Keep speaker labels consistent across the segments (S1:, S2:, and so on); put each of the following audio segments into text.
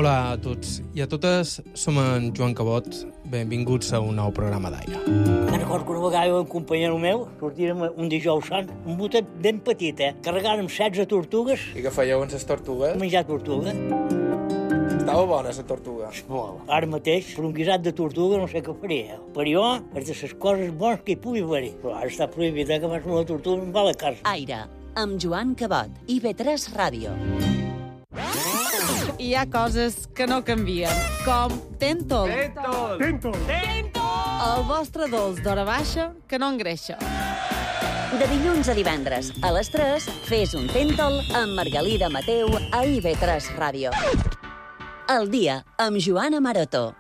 S1: Hola a tots i a totes, som en Joan Cabot. Benvinguts a un nou programa d'Aire.
S2: Me'n recordo que una vegada un companyero meu sortírem un dijous sant, un botet ben petit, carregàrem 16 tortugues.
S3: I què fèieu amb les tortugues?
S2: Menjar tortuga.
S3: Estava bona, la tortuga.
S2: Molt. Ara mateix, per un guisat de tortuga, no sé què faria. Per jo, és de les coses bones que hi pugui haver. Però ara està prohibit, que vas amb la tortuga em va a la casa.
S4: Aire, amb Joan Cabot, IB3 Ràdio.
S5: Hi ha coses que no canvien, com Tentol.
S6: Tentol!
S5: El vostre dolç d'hora baixa que no engreixa.
S4: De dilluns a divendres, a les 3, fes un Tentol amb Margalida Mateu a IB3 Ràdio. El dia amb Joana Maroto.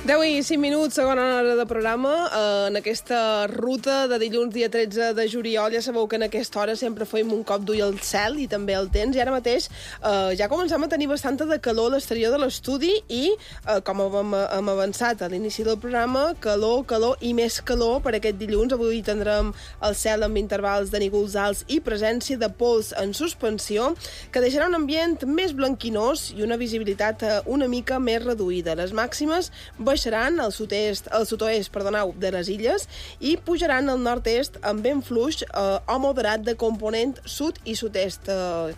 S6: 10 i 5 minuts, segona hora de programa. En aquesta ruta de dilluns, dia 13 de juliol, ja sabeu que en aquesta hora sempre fem un cop d'ull al cel i també al temps, i ara mateix ja comencem a tenir bastanta de calor a l'exterior de l'estudi i, com hem avançat a l'inici del programa, calor i més calor per aquest dilluns. Avui tindrem el cel amb intervals de núvols alts i presència de pols en suspensió, que deixarà un ambient més blanquinós i una visibilitat una mica més reduïda. Les màximes baixaran al sud-oest de les illes i pujaran al nord-est amb vent fluix o moderat de component sud i sud-est.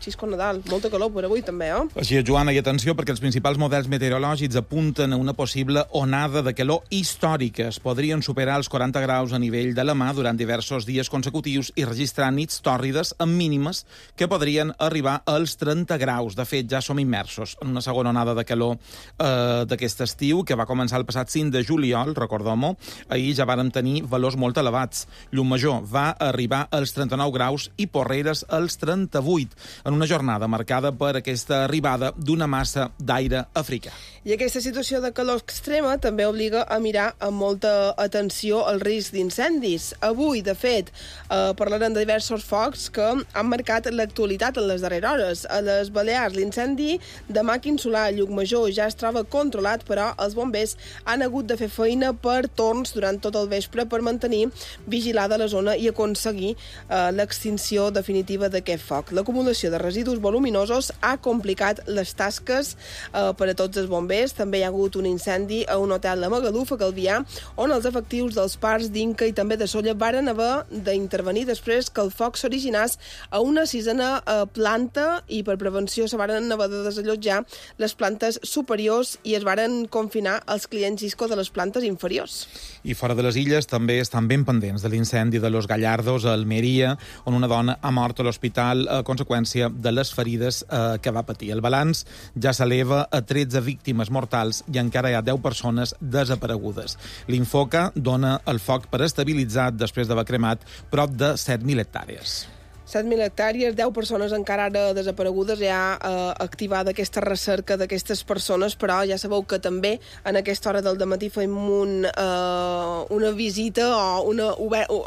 S6: Xisco Nadal, molta calor per avui també,
S7: Així és, Joana, i atenció, perquè els principals models meteorològics apunten a una possible onada de calor històrica. Es podrien superar els 40 graus a nivell de la mà durant diversos dies consecutius i registrar nits tòrrides amb mínimes que podrien arribar als 30 graus. De fet, ja som immersos en una segona onada de calor d'aquest estiu, que va començar el passat 5 de juliol, recordem-ho. Ahir ja vàrem tenir valors molt elevats. Llumajor va arribar als 39 graus i Porreres als 38, en una jornada marcada per aquesta arribada d'una massa d'aire africà.
S6: I aquesta situació de calor extrema també obliga a mirar amb molta atenció el risc d'incendis. Avui, de fet, parlarem de diversos focs que han marcat l'actualitat en les darreres hores. A les Balears, l'incendi de Màquin Solà a Llucmajor ja es troba controlat, però els bombers han hagut de fer feina per torns durant tot el vespre per mantenir vigilada la zona i aconseguir l'extinció definitiva d'aquest foc. L'acumulació de residus voluminosos ha complicat les tasques per a tots els bombers. També hi ha hagut un incendi a un hotel de Magaluf, a Calvià, on els efectius dels parcs d'Inca i també de Sóller varen haver d'intervenir després que el foc s'originés a una sisena planta i per prevenció se varen haver de desallotjar les plantes superiors i es varen confinar els clients Xisco de les plantes inferiors.
S7: I fora de les illes també estan ben pendents de l'incendi de Los Gallardos a Almeria, on una dona ha mort a l'hospital a conseqüència de les ferides que va patir. El balanç ja s'eleva a 13 víctimes mortals i encara hi ha 10 persones desaparegudes. L'Infoca dona el foc per estabilitzat després d'haver cremat prop de 7.000 hectàrees.
S6: 7.000 hectàrees, 10 persones encara ara desaparegudes, ja activada aquesta recerca d'aquestes persones, però ja sabeu que també en aquesta hora del dematí fem una visita o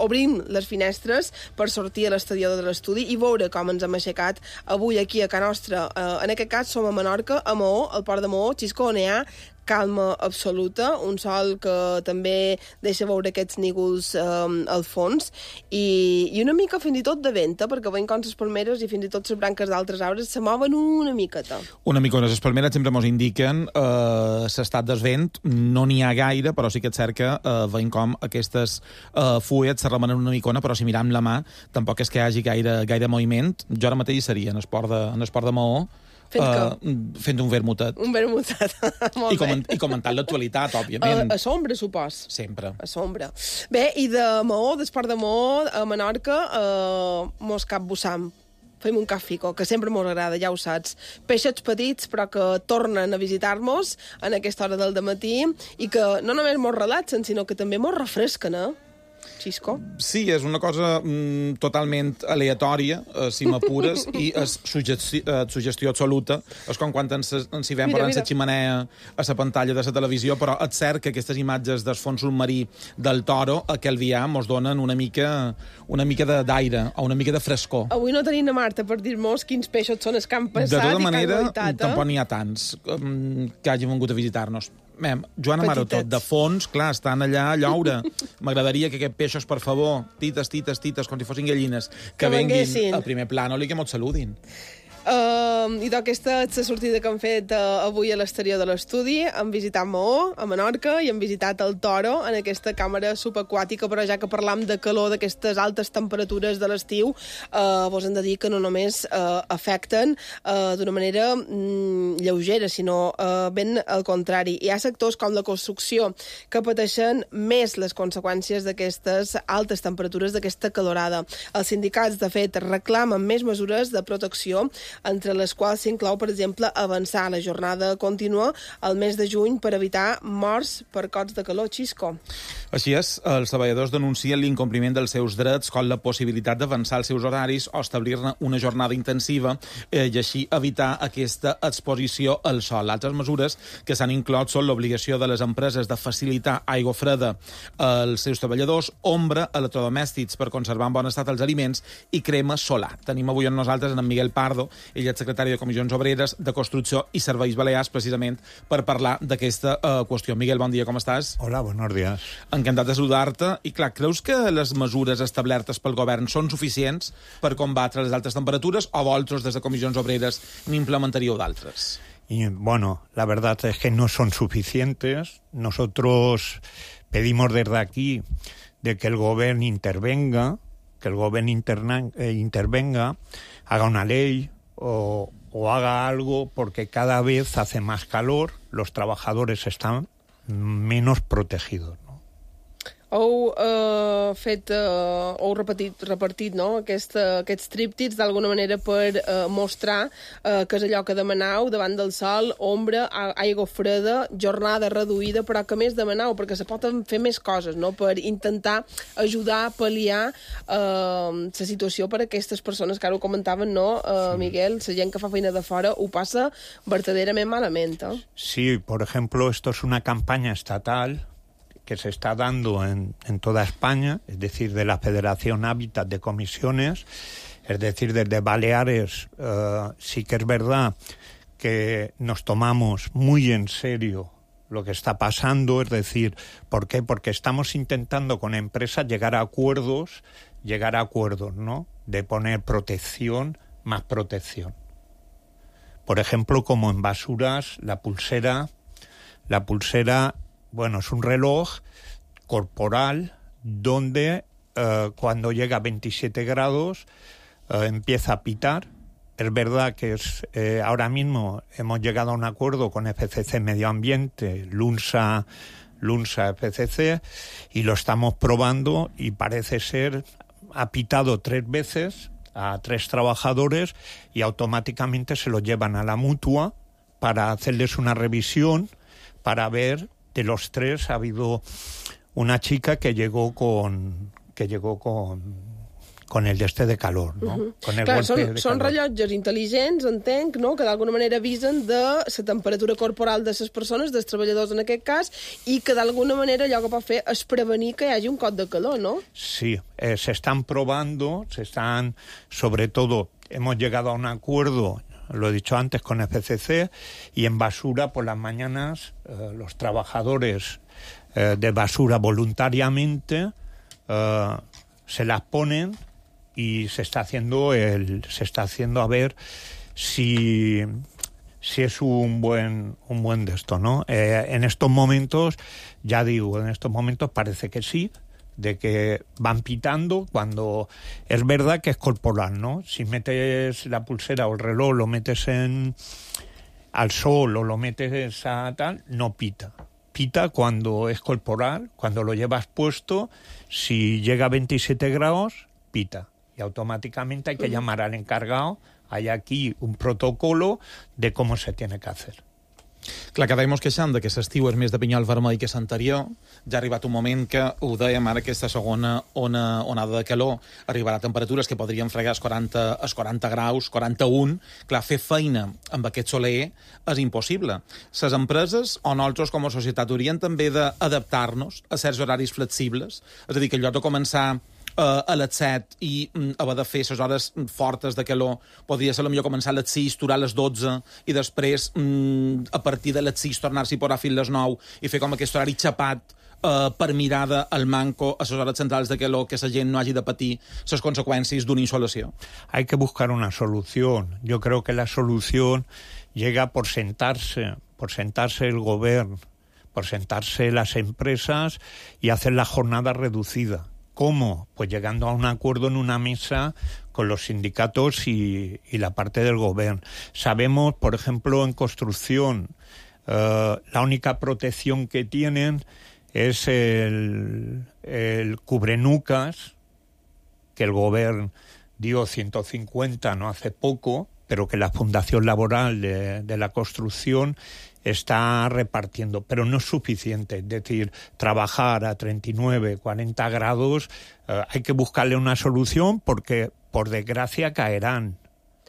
S6: obrim les finestres per sortir a l'exterior de l'estudi i veure com ens hem aixecat avui aquí a Can Nostra. En aquest cas som a Menorca, a Maó, al port de Maó, Xisco, on hi ha calma absoluta, un sol que també deixa veure aquests núvols al fons i una mica fins i tot de vent, perquè veiem com les palmeres i fins i tot les branques d'altres arbres se mouen una miqueta.
S7: Una micona. Les palmeres sempre ens indiquen l'estat del vent, no n'hi ha gaire, però sí que és cert que veiem com aquestes fulles se remenen una micona, però si miram la mà tampoc és que hi hagi gaire moviment. Jo ara mateix seria en el port de Maó, fent un vermutet.
S6: Un vermutet, molt bé.
S7: I comentant l'actualitat, òbviament.
S6: A sombra, supos.
S7: Sempre.
S6: A sombra. Bé, i de Maó, d'esport de Maó, a Menorca, mos capbussam. Fem un cafico, que sempre mos agrada, ja ho saps. Peixets petits, però que tornen a visitar-nos en aquesta hora del dematí i que no només mos relaxen, sinó que també mos refresquen, Xisco?
S7: Sí, és una cosa totalment aleatòria, si m'apures, i és suggestió absoluta. És com quan ens hi veiem parlant la ximenea a la pantalla de la televisió, però és cert que aquestes imatges del fons submarí del Toro a Calvià mos donen una mica d'aire, o una mica de frescor.
S6: Avui no tenim a Marta per dir-nos quins peixos són els que han passat.
S7: De tota manera, tampoc n'hi ha tants que hagin vingut a visitar-nos. Joana Maroto, de fons, clar, estan allà a lloure. M'agradaria que aquests peixos, per favor, tites, com si fossin gallines, que venguin al primer plànol i que mos saludin.
S6: I aquesta és la sortida que han fet avui a l'exterior de l'estudi. Han visitat Maó, a Menorca, i han visitat el Toro, en aquesta càmera subaquàtica, però ja que parlam de calor, d'aquestes altes temperatures de l'estiu, vos hem de dir que no només afecten d'una manera lleugera, sinó ben al contrari. Hi ha sectors com la construcció que pateixen més les conseqüències d'aquestes altes temperatures, d'aquesta calorada. Els sindicats, de fet, reclamen més mesures de protecció, entre les quals s'inclou, per exemple, avançar la jornada contínua al mes de juny per evitar morts per cots de calor. Xisco.
S7: Així és, els treballadors denuncien l'incompliment dels seus drets, com la possibilitat d'avançar els seus horaris o establir-ne una jornada intensiva i així evitar aquesta exposició al sol. Altres mesures que s'han inclòs són l'obligació de les empreses de facilitar aigua freda als seus treballadors, ombra a electrodomèstics per conservar en bon estat els aliments i crema solar. Tenim avui amb nosaltres en Miguel Pardo, ell és secretari de Comissions Obreres, de Construcció i Serveis Balears, precisament per parlar d'aquesta qüestió. Miguel, bon dia, com estàs?
S8: Hola, buenos días.
S7: Encantat de saludar-te. I clar, creus que les mesures establertes pel govern són suficients per combatre les altes temperatures o vosaltres, des de Comissions Obreres, n'implementaríeu d'altres?
S8: Y bueno, la verdad es que no son suficientes. Nosotros pedimos desde aquí de que el gobierno intervenga, haga una ley o haga algo, porque cada vez hace más calor, los trabajadores están menos protegidos, ¿no?
S6: Heu repartit no? Aquests tríptics d'alguna manera per mostrar que és allò que demanau davant del sol, ombra, aigua freda, jornada reduïda, però que més demanau, perquè se poden fer més coses, no? Per intentar ajudar a pal·liar la situació per a aquestes persones que ara ho comentaven, no, Miguel? La gent que fa feina de fora ho passa verdaderament malament, eh?
S8: Sí, por ejemplo, esto es una campaña estatal que se está dando en toda España, es decir, de la Federación Hábitat de Comisiones, es decir, desde Baleares. Sí que es verdad que nos tomamos muy en serio lo que está pasando, es decir, ¿por qué? Porque estamos intentando con empresas llegar a acuerdos, ¿no? De poner protección, más protección. Por ejemplo, como en basuras, la pulsera, bueno, es un reloj corporal donde cuando llega a 27 grados empieza a pitar. Es verdad que ahora mismo hemos llegado a un acuerdo con FCC Medio Ambiente, LUNSA FCC, y lo estamos probando y parece ser, ha pitado 3 veces a 3 trabajadores y automáticamente se los llevan a la mutua para hacerles una revisión, para ver. De los 3 ha habido una chica que llegó con el de calor, no? Con el
S6: Clar,
S8: golpe de
S6: són
S8: calor.
S6: rellotges intel·ligents, entenc, no? Que d'alguna manera avisen de la temperatura corporal de les persones, dels treballadors en aquest cas, i que d'alguna manera allò que pot fer és prevenir que hi hagi un cot de calor, no?
S8: Sí, se están probando, sobre todo, hemos llegado a un acuerdo, lo he dicho antes, con FCC, y en basura por las mañanas los trabajadores de basura voluntariamente se las ponen y se está haciendo a ver si es un buen de esto, ¿no? En estos momentos, ya digo, parece que sí, de que van pitando cuando es verdad que es corporal, ¿no? Si metes la pulsera o el reloj, lo metes al sol o lo metes a tal, no pita. Pita cuando es corporal, cuando lo llevas puesto, si llega a 27 grados, pita. Y automáticamente hay que llamar al encargado. Hay aquí un protocolo de cómo se tiene que hacer.
S7: Clar, cada any mos queixem que l'estiu és més de pinyol vermell que l'anterior. Ja ha arribat un moment que, ho dèiem ara, aquesta segona onada de calor arribarà a temperatures que podrien fregar els 40 graus, 41. Clar, fer feina amb aquest soler és impossible. Les empreses o nosaltres com a societat haurien també d'adaptar-nos a certs horaris flexibles. És a dir, que en lloc de començar a les 7 i haver de fer les hores fortes de calor, podria ser millor començar a les 6, durar a les 12 i després a partir de les 6 tornar-s'hi a posar fins a les 9 i fer com aquest horari xapat per mirada al manco a les hores centrals de calor, que la gent no hagi de patir les conseqüències d'una insolació.
S8: Hay que buscar una solución. Yo creo que la solución llega por sentarse el gobierno, por sentarse las empresas y hacer la jornada reducida. ¿Cómo? Pues llegando a un acuerdo en una mesa con los sindicatos y la parte del gobierno. Sabemos, por ejemplo, en construcción, la única protección que tienen es el cubrenucas, que el gobierno dio 150 no hace poco, pero que la Fundación Laboral de la Construcción está repartiendo, pero no es suficiente. Es decir, trabajar a 39, 40 grados, hay que buscarle una solución porque, por desgràcia, caeran.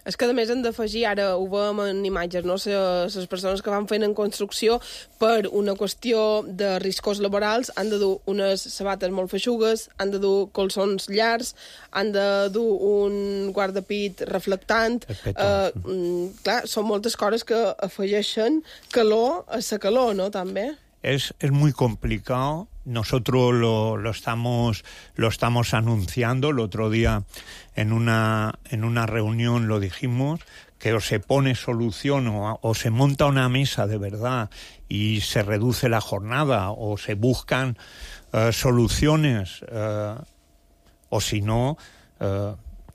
S6: És que, a més, hem d'afegir, ara ho veiem en imatges, no? Les persones que van fent en construcció, per una qüestió de riscos laborals, han de dur unes sabates molt feixugues, han de dur colzons llargs, han de dur un guardapit reflectant. Clar, són moltes coses que afegeixen calor a la calor, no?, també.
S8: Es muy complicado. Nosotros lo estamos anunciando. El otro día en una reunión lo dijimos, que o se pone solución o se monta una mesa de verdad y se reduce la jornada o se buscan soluciones o si no,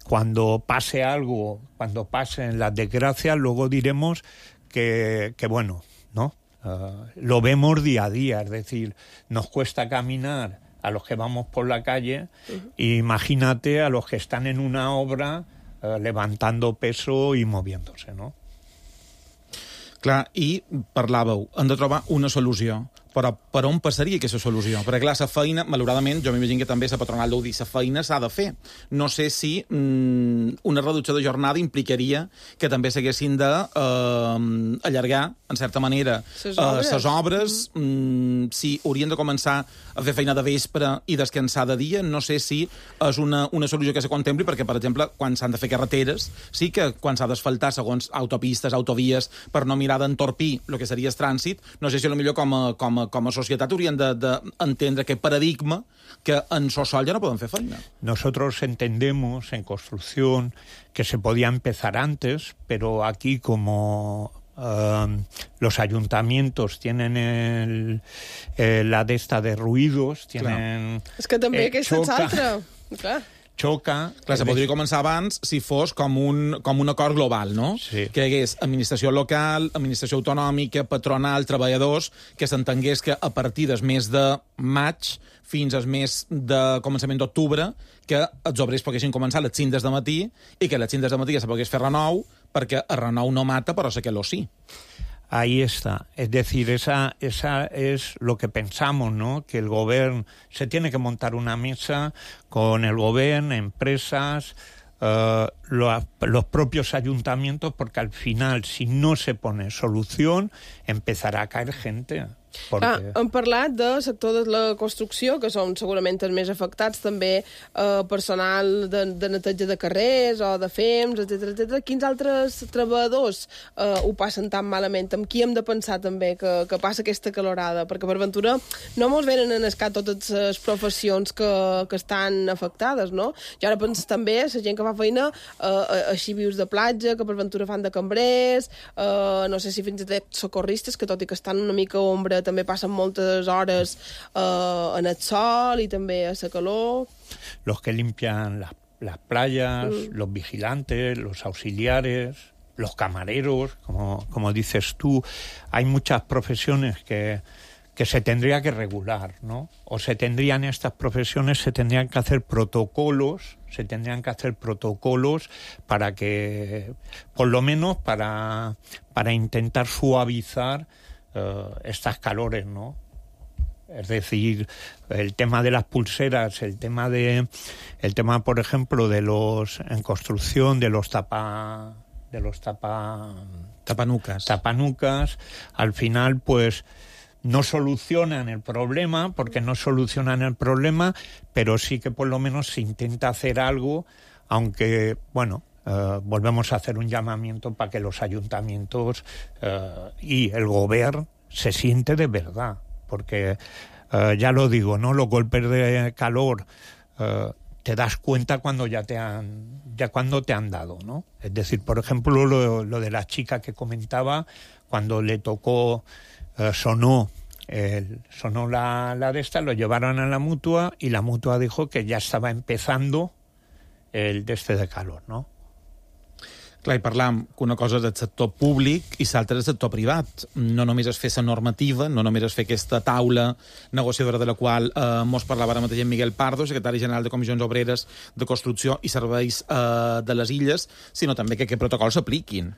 S8: cuando pase algo, cuando pasen las desgracias, luego diremos que bueno, ¿no? Lo vemos día a día, es decir, nos cuesta caminar a los que vamos por la calle, imagínate a los que están en una obra levantando peso i moviéndose, no?
S7: Clar, i parlàveu, hem de trobar una solució. Però per on passaria aquesta solució? Perquè, clar, la feina, malauradament, jo m'imagino que també la patronal deu dir, la feina s'ha de fer. No sé si una reducció de jornada implicaria que també s'haguessin d'allargar, en certa manera, les obres. Si haurien de començar a fer feina de vespre i descansar de dia, no sé si és una solució que se contempli, perquè, per exemple, quan s'han de fer carreteres, sí que quan s'ha d'asfaltar segons autopistes, autovies, per no mirar d'entorpir el que seria el trànsit, no sé si potser com a societat hauríem d'entendre aquest paradigma que en sol ja no poden fer feina.
S8: Nosotros entendemos en construcción que se podía empezar antes, pero aquí como los ayuntamientos tienen la de esta de ruidos, tienen...
S6: És que també aquesta és altra, clar.
S8: Xoca.
S7: Clar, se podria començar abans si fos com un acord global, no?
S8: Sí.
S7: Que hi hagués administració local, administració autonòmica, patronal, treballadors, que s'entengués que a partir del mes de maig fins al mes de començament d'octubre que els obrers poguessin començar a les 5 del matí i que a les 5 del matí ja se pogués fer renou, perquè el renou no mata, però la calor sí.
S8: Ahí está. Es decir, esa es lo que pensamos, ¿no? Que el gobierno se tiene que montar una mesa con el gobierno, empresas, los propios ayuntamientos, porque al final, si no se pone solución, empezará a caer gente. Perquè...
S6: Hem parlat del sector de la construcció, que són segurament els més afectats, també personal de neteja de carrers o de FEMS, etc. Quins altres treballadors ho passen tan malament? Amb qui hem de pensar també que passa aquesta calorada? Perquè per ventura no mos venen en escat totes les professions que estan afectades, no? Jo ara penso també la gent que fa feina a xivius de platja, que per ventura fan de cambrers, no sé si fins i tot socorristes, que tot i que estan una mica a ombra també passen moltes hores en el sol i també a la calor.
S8: Los que limpian las playas, los vigilantes, los auxiliares, los camareros, como dices tú. Hay muchas profesiones que se tendría que regular, ¿no? O se tendrían estas profesiones, se tendrían que hacer protocolos para que, por lo menos para intentar suavizar estas calores, ¿no? Es decir, el tema de las pulseras, el tema por ejemplo en construcción de los tapanucas, al final pues no solucionan el problema, pero sí que por lo menos se intenta hacer algo, aunque, bueno, volvemos a hacer un llamamiento para que los ayuntamientos y el gobierno se siente de verdad, porque ya lo digo, ¿no? Los golpes de calor te das cuenta cuando cuando te han dado, ¿no? Es decir, por ejemplo, lo de la chica que comentaba, cuando le tocó, sonó la de esta, lo llevaron a la mutua y la mutua dijo que ya estaba empezando el de calor, ¿no?
S7: Clar, i parlam que una cosa és el sector públic i l'altra és el sector privat. No només es fer la normativa, no només es fer aquesta taula negociadora de la qual mos parlava ara mateix en Miguel Pardo, secretari general de Comissions Obreres de Construcció i Serveis de les Illes, sinó també que aquests protocols s'apliquin.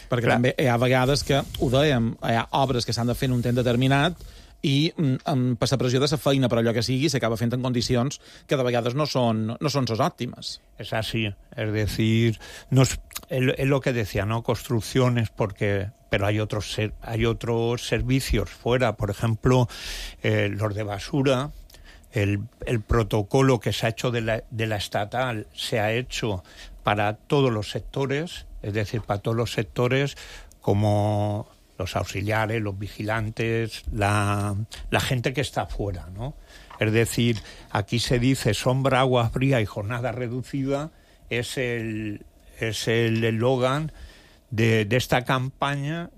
S7: Perquè també hi ha vegades que, ho dèiem, hi ha obres que s'han de fer en un temps determinat i per la pressió de la feina, per allò que sigui, s'acaba fent en condicions que de vegades no són les òptimes.
S8: Es así, es decir, es lo que decía, ¿no? Construcciones, pero hay otros servicios fuera, por ejemplo, los de basura. El protocolo que se ha hecho de la estatal se ha hecho para todos los sectores, es decir, para todos los sectores, como los auxiliares, los vigilantes, la gente que está fuera, ¿no? Es decir, aquí se dice sombra, agua fría y jornada reducida, es el eslogan de esta campaña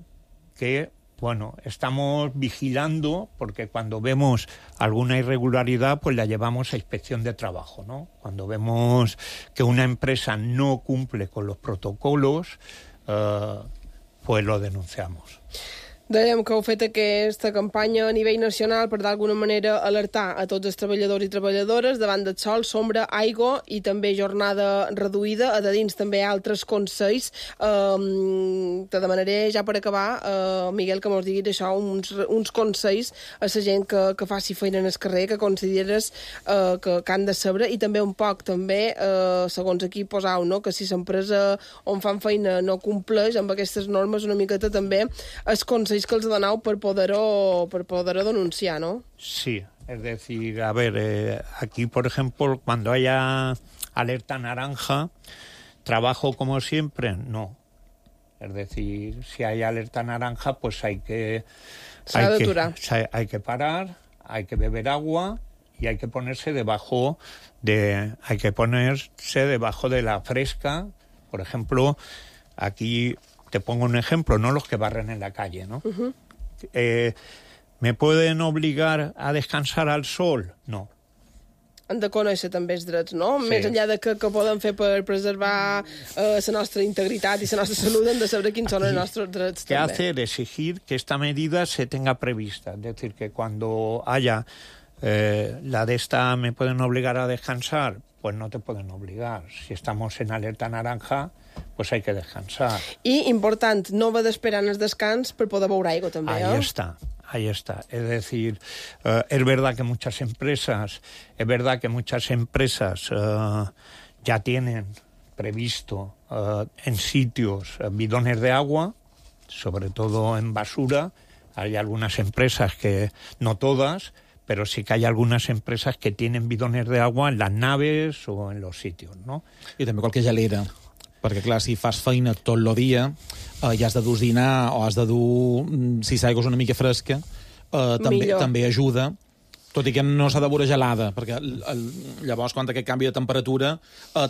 S8: que, bueno, estamos vigilando, porque cuando vemos alguna irregularidad, pues la llevamos a inspección de trabajo, ¿no? Cuando vemos que una empresa no cumple con los protocolos, pues lo denunciamos.
S6: Dèiem que heu fet aquesta campanya a nivell nacional per d'alguna manera alertar a tots els treballadors i treballadores davant del sol, sombra, aigua i també jornada reduïda. A de dins també hi ha altres consells. Te demanaré ja per acabar, Miguel, que mos diguis això, uns consells a la gent que faci feina en el carrer, que consideres que han de saber, i també un poc, també, segons aquí posau, no? Que si l'empresa on fan feina no compleix amb aquestes normes, una miqueta també els consells que els doneu per poder-ho denunciar, ¿no?
S8: Sí, es decir, a ver, aquí, por ejemplo, cuando haya alerta naranja, trabajo como siempre, no. Es decir, si hay alerta naranja, pues hay que parar, hay que beber agua y hay que ponerse debajo de la fresca. Por ejemplo, aquí te pongo un ejemplo, no los que barren en la calle, ¿no? Uh-huh. ¿Me pueden obligar a descansar al sol? No.
S6: Han de conèixer també els drets, no? Sí. Més enllà de que poden fer per preservar la nostra integritat i la nostra salut, hem de saber quins són els nostres drets.
S8: ¿Qué hacer? Exigir que esta medida se tenga prevista. Es decir, que cuando haya la de esta me pueden obligar a descansar, pues no te pueden obligar. Si estamos en alerta naranja, pues hay que descansar.
S6: I, important, no haver d'esperar en el descans per poder beure aigua, també,
S8: Ahí está. Es decir, es verdad que muchas empresas ya tienen previsto en sitios bidones de agua, sobre todo en basura. Hay algunas empresas que, no todas, pero sí que hay algunas empresas que tienen bidones de agua en las naves o en los sitios, ¿no?
S7: I també qualque gelera, perquè clar, si fas feina tot el dia i has de dur dinar o has de dur, si l'aigua és una mica fresca, també ajuda, tot i que no s'ha de veure gelada, perquè llavors quan aquest canvi de temperatura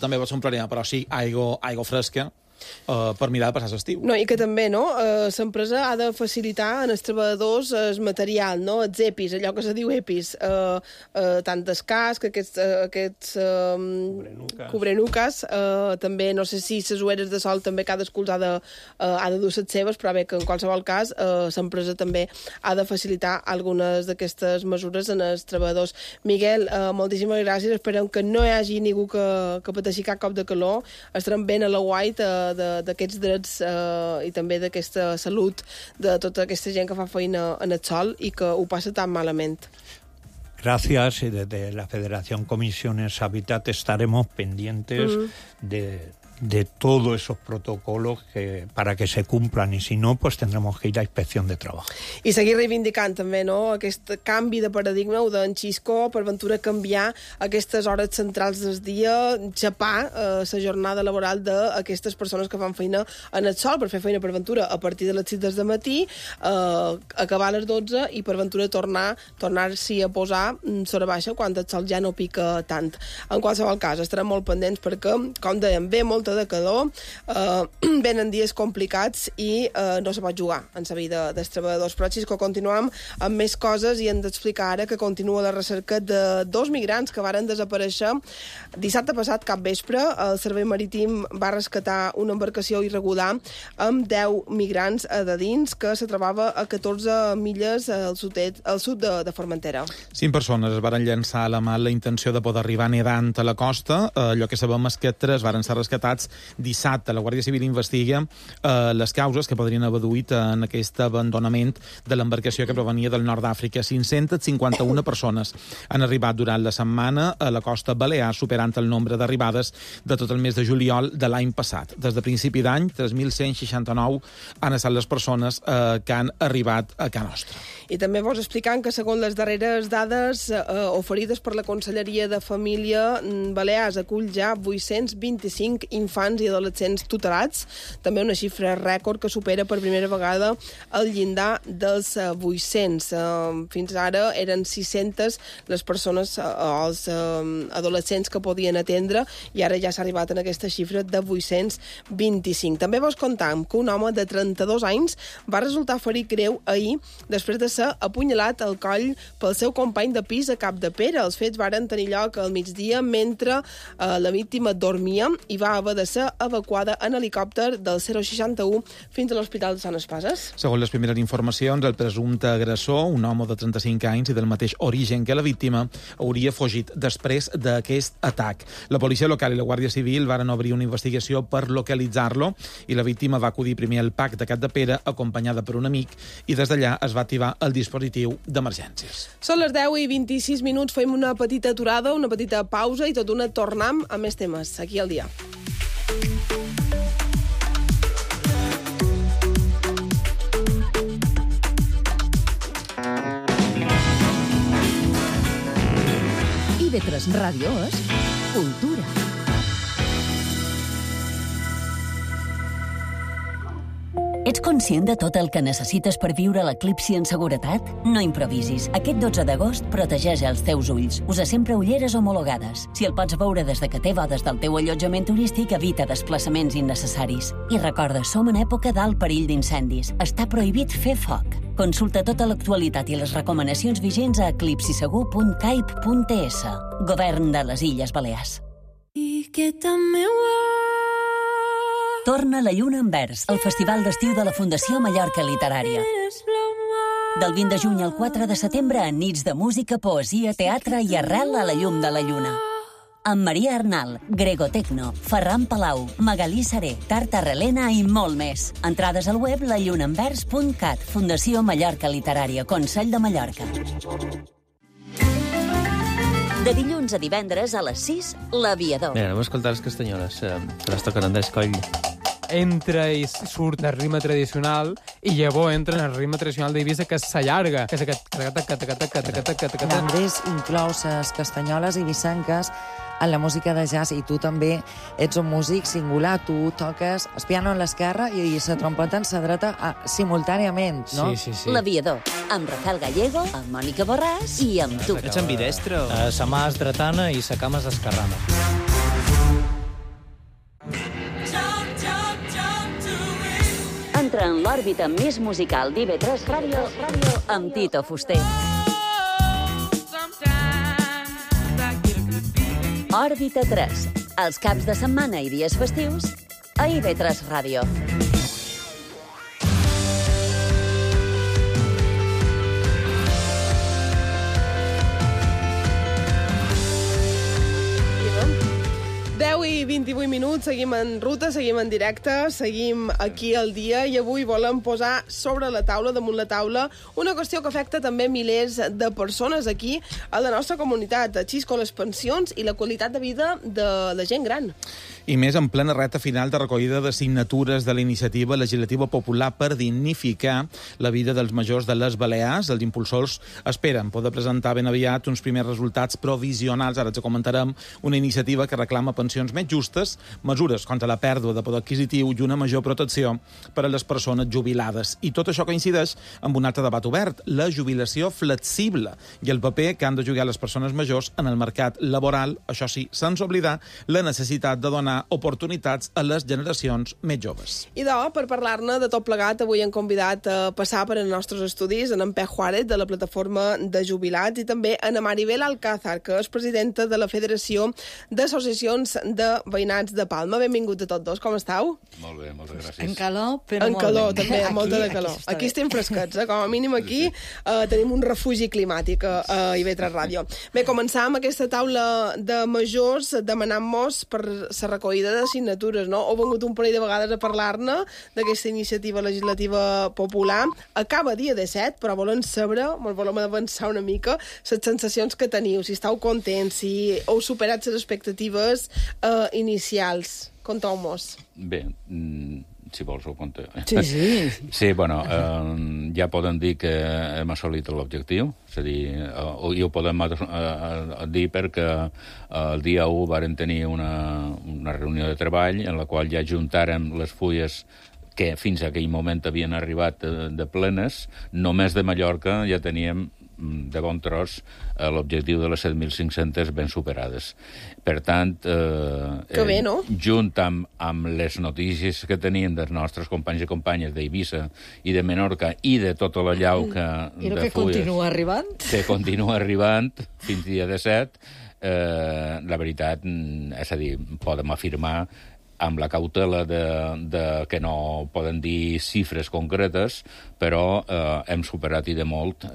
S7: també va ser un problema, però sí, aigua fresca per mirar de passar l'estiu.
S6: No, i que també, no? L'empresa ha de facilitar als treballadors el material, no? Els EPIs, allò que se diu EPIs, tant els cascs, aquests cobrenuques, també, no sé si les ulleres de sol també cadascú ha de dur les seves, però bé, que en qualsevol cas l'empresa també ha de facilitar algunes d'aquestes mesures en els treballadors. Miguel, moltíssimes gràcies, esperem que no hi hagi ningú que pateixi cap cop de calor, estarem ben a la guait d'aquests drets i també d'aquesta salut de tota aquesta gent que fa feina en el sol i que ho passa tan malament.
S8: Gracias, y desde la Federación Comisiones Habitat estaremos pendientes de de todos esos protocolos para que se cumplan, y si no, pues tendremos que ir a inspección de trabajo.
S6: I seguir reivindicant també, no?, aquest canvi de paradigma d'en Xisco, per ventura canviar aquestes hores centrals del dia, xapar la jornada laboral d'aquestes persones que fan feina en el sol, per fer feina per ventura a partir de les 6 del matí, acabar a les 12 i per ventura tornar-s'hi a posar sobre baixa quan el sol ja no pica tant. En qualsevol cas, estarem molt pendents perquè, com dèiem, ve molta de calor, venen dies complicats i no se pot jugar en la vida dels treballadors. Però, Xisco, continuem amb més coses i hem d'explicar ara que continua la recerca de 2 migrants que varen desaparèixer dissabte passat cap vespre. El Servei Marítim va rescatar una embarcació irregular amb 10 migrants de dins que se trobava a 14 milles al sud de Formentera.
S7: 5 persones es varen llançar a la mar la intenció de poder arribar nedant a la costa. Allò que sabem és que 3 varen ser rescatats dissabte. La Guàrdia Civil investiga les causes que podrien haver duit en aquest abandonament de l'embarcació que provenia del nord d'Àfrica. 551 persones han arribat durant la setmana a la costa balear, superant el nombre d'arribades de tot el mes de juliol de l'any passat. Des de principi d'any, 3.169 han estat les persones que han arribat a Can Nostra.
S6: I també vos explicant que, segons les darreres dades oferides per la Conselleria de Família, Balears acull ja 825 infants i adolescents tutelats, també una xifra rècord que supera per primera vegada el llindar dels 800. Fins ara eren 600 les persones o els adolescents que podien atendre i ara ja s'ha arribat en aquesta xifra de 825. També vos contam que un home de 32 anys va resultar ferit greu ahir després de ser apunyalat al coll pel seu company de pis a Capdepera. Els fets varen tenir lloc al migdia mentre la víctima dormia i va haver de ser evacuada en helicòpter del 061 fins a l'Hospital de Sant Espases.
S7: Segons les primeres informacions, el presumpte agressor, un home de 35 anys i del mateix origen que la víctima, hauria fugit després d'aquest atac. La policia local i la Guàrdia Civil varen obrir una investigació per localitzar-lo i la víctima va acudir primer al PAC de Capdepera acompanyada per un amic i des d'allà es va activar el dispositiu d'emergències.
S6: Són les 10:26, fem una petita aturada, una petita pausa i tot una tornam a més temes aquí al dia.
S4: IB3 Ràdio és cultura. Ets conscient de tot el que necessites per viure l'eclipsi en seguretat? No improvisis. Aquest 12 d'agost protegeix els teus ulls. Usa sempre ulleres homologades. Si el pots veure des de que té bodes del teu allotjament turístic, evita desplaçaments innecessaris. I recorda, som en època d'alt perill d'incendis. Està prohibit fer foc. Consulta tota l'actualitat i les recomanacions vigents a eclipsisegur.caip.es. Govern de les Illes Balears. Torna la Lluna en Vers, el festival d'estiu de la Fundació Mallorca Literària. Del 20 de juny al 4 de setembre, en nits de música, poesia, teatre i arrel a la llum de la lluna. Amb Maria Arnal, Grego Tecno, Ferran Palau, Magalí Saré, Tarta Relena i molt més. Entrades al web lallunaenvers.cat, Fundació Mallorca Literària, Consell de Mallorca. De dilluns a divendres a les 6, L'Aviador.
S9: Mira, anem a escoltar les castanyoles, que les toquen Andrés Coll.
S10: Entra i surt el ritme tradicional i llavors entra en el ritme tradicional d'Eivissa, que s'allarga, que és aquest...
S11: Andrés inclou les castanyoles eivissenques en la música de jazz i tu també ets un músic singular. Tu toques el piano en l'esquerra i la trompeta en la dreta simultàniament, no?
S9: Sí.
S4: L'Aviador, amb Rafael Gallego, amb Mònica Borràs i amb tu.
S9: Ets ambidestre o...?
S12: Sa mà és dretana i sa cama és esquerrana.
S4: Entra en l'òrbita més musical d'IB3 Ràdio amb Tito Fuster. Òrbita 3, els caps de setmana i dies festius a IB3 Ràdio.
S6: 28 minuts, seguim en ruta, seguim en directe, seguim aquí al dia i avui volem posar sobre la taula, damunt la taula, una qüestió que afecta també milers de persones aquí a la nostra comunitat, així com les pensions i la qualitat de vida de la gent gran.
S7: I més en plena recta final de recollida de signatures de la iniciativa legislativa popular per dignificar la vida dels majors de les Balears. Els impulsors esperen poder presentar ben aviat uns primers resultats provisionals, ara ens comentarem, una iniciativa que reclama pensions més justes, mesures contra la pèrdua de poder adquisitiu i una major protecció per a les persones jubilades. I tot això coincideix amb un altre debat obert, la jubilació flexible i el paper que han de jugar les persones majors en el mercat laboral, això sí, sense oblidar la necessitat de donar oportunitats a les generacions més joves.
S6: I per parlar-ne de tot plegat, avui hem convidat a passar per els nostres estudis en Pep Juárez, de la plataforma de jubilats, i també en Maribel Alcázar, que és presidenta de la Federació d'Associacions de Veïnats de Palma. Benvinguts a tots dos, com esteu?
S13: Molt bé, moltes gràcies.
S11: En calor, però
S6: en
S11: molt
S6: calor,
S11: bé.
S6: també, molta de calor. Aquí estem fresquets, com a mínim aquí tenim un refugi climàtic a IB3 Ràdio. Bé, començam aquesta taula de majors demanant-nos per la recollida de signatures, no? Heu vengut un parell de vegades a parlar-ne d'aquesta iniciativa legislativa popular. Acaba dia 17, però volem saber, volem avançar una mica, les sensacions que teniu, si esteu contents, si heu superat les expectatives inicials. Conteu-mos.
S13: Bé, si vols ho conto.
S11: Sí.
S13: Sí, bueno, ja podem dir que hem assolit l'objectiu, és a dir, i ho podem dir perquè el dia 1 vàrem tenir una reunió de treball en la qual ja juntàrem les fulles que fins a aquell moment havien arribat de plenes. Només de Mallorca ja teníem de bon tros l'objectiu de les 7.500 ben superades. Per tant,
S6: que bé, no?
S13: Junt amb les notícies que teníem dels nostres companys i companyes d'Eivissa i de Menorca i de tota la llau que
S11: I el que continua arribant.
S13: Que continua arribant fins dia 17, la veritat, és a dir, podem afirmar amb la cautela de que no poden dir xifres concretes, però hem superat i de molt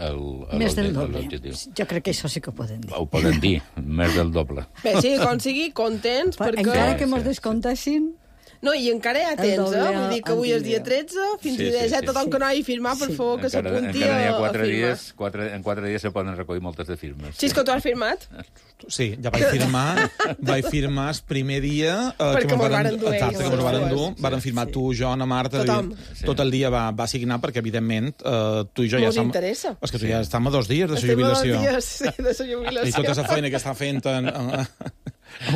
S14: més del doble.
S13: l'objectiu.
S14: Jo crec que això sí que ho podem dir.
S13: Ho poden dir, més del doble.
S6: Bé, sí, com sigui, contents, perquè...
S14: Encara que mos descomptessin...
S6: No, i encara hi ha temps, Vull dir que avui és dia 13, fins dia 17, tothom que no hagi firmat, per favor, que s'apunti a firmar.
S13: En 4 dies se poden recollir moltes de firmes.
S6: Sí, és que tu has firmat?
S7: Sí, ja vaig firmar el primer dia
S6: perquè mos varen dur ells.
S7: Exacte, que mos varen dur. Varen firmar tu, jo, Ana Marta, tot el dia va signar, perquè, evidentment, tu i jo ja
S6: estem... Mos interessa.
S7: És que tu ja estem a 2 dies de la jubilació.
S6: Estem a 2 dies, sí, de la jubilació.
S7: I tota la feina que està fent el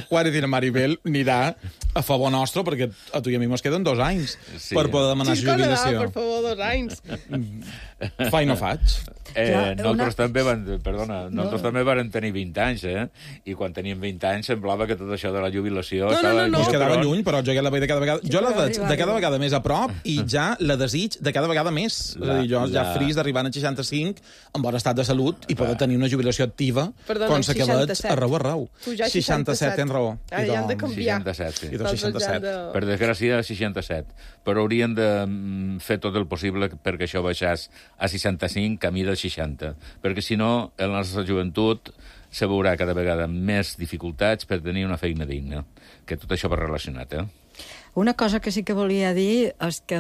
S7: Juárez i la Maribel anirà a favor nostre, perquè a tu i a mi mos queden 2 anys per poder demanar jubilació.
S6: Per favor, 2 anys.
S7: Fa i no faig.
S13: Nosaltres també vàrem tenir 20 anys, i quan teníem 20 anys semblava que tot això de la jubilació...
S6: No.
S7: Ens quedava lluny, però jo la veig de cada vegada... Jo la veig de cada vegada més a prop i ja la desig de cada vegada més. És a dir, jo ja fris d'arribar als 65 en bon estat de salut i poder tenir una jubilació activa com la que veig arreu. 67, tens raó.
S6: Ja han de canviar.
S13: 67, sí.
S7: I 67.
S13: Per desgràcia, 67. Però haurien de fer tot el possible perquè això baixés a 65, camí del 60. Perquè, si no, la nostra joventut se veurà cada vegada més dificultats per tenir una feina digna. Que tot això va relacionat,
S14: Una cosa que sí que volia dir és que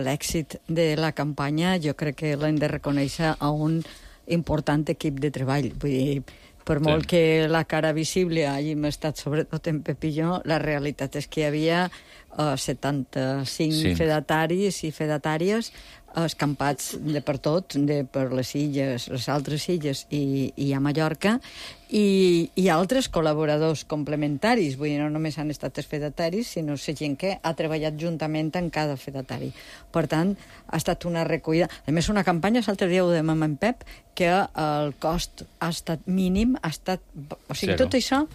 S14: l'èxit de la campanya jo crec que l'hem de reconèixer a un important equip de treball. Vull dir, per molt que la cara visible hàgim estat sobretot en Pep i jo, la realitat és que hi havia 75 fedataris i fedatàries escampats de per tot, per les illes, les altres illes i a Mallorca, i altres col·laboradors complementaris. Vull dir, no només han estat els fedataris, sinó la gent que ha treballat juntament en cada fedatari. Per tant, ha estat una recollida. A més, una campanya, l'altre dia ho dèiem amb en Pep, que el cost ha estat mínim, ha estat... O sigui, tot això...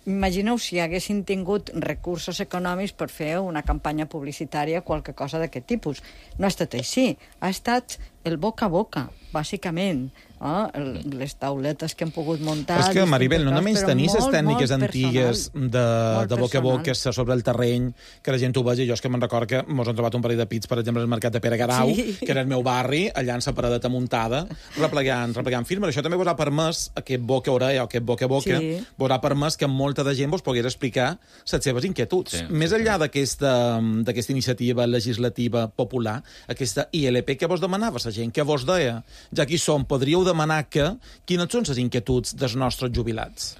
S14: Imagineu si haguessin tingut recursos econòmics per fer una campanya publicitària, qualque cosa d'aquest tipus. No ha estat així. Ha estat el boca a boca, bàsicament. les tauletes que hem pogut muntar...
S7: És que, Maribel, no només tenir les tècniques antigues de boca a boca sobre el terreny, que la gent ho vegi. Jo és que me'n record que mos han trobat un parell de pits, per exemple, al mercat de Pere Garau, que era el meu barri, allà en la paradeta muntada, replegant firmes. Això també vos ha permès, aquest boca-orella o aquest boca-a-boca, vos ha permès que molta de gent vos pogués explicar les seves inquietuds. Més enllà d'aquesta iniciativa legislativa popular, aquesta ILP que vos demanava la gent, que vos deia, ja que hi som, podríeu demanar quines són les inquietuds dels nostres jubilats?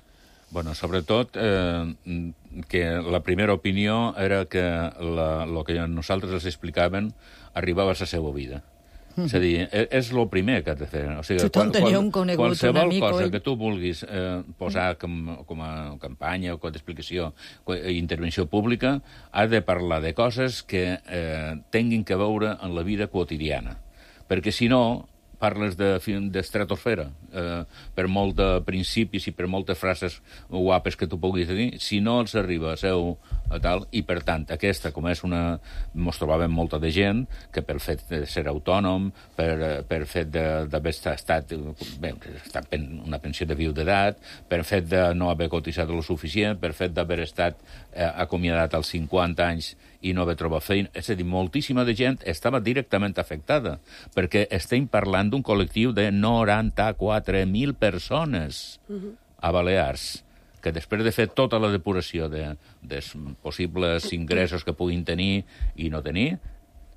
S13: Bueno, sobretot que la primera opinió era que el que nosaltres els explicaven arribava a la seva vida. És a dir, és el primer que has de fer. O sigui, qualsevol cosa que tu vulguis posar com a campanya o com a explicació, intervenció pública, has de parlar de coses que tinguin que veure en la vida quotidiana. Perquè, si no, parles d'estratosfera. Per molt de principis i per moltes frases guapes que tu puguis dir, si no els arriba a seu tal, i per tant, aquesta, com és una... Mos trobàvem molta de gent que per fet de ser autònom, per fet d'haver estat una pensió de viudetat, per fet de no haver cotitzat lo suficient, per fet d'haver estat acomiadat als 50 anys i no haver trobat feina. És a dir, moltíssima de gent estava directament afectada, perquè estem parlant d'un col·lectiu de 94.000 persones a Balears, que després de fer tota la depuració dels possibles ingressos que puguin tenir i no tenir,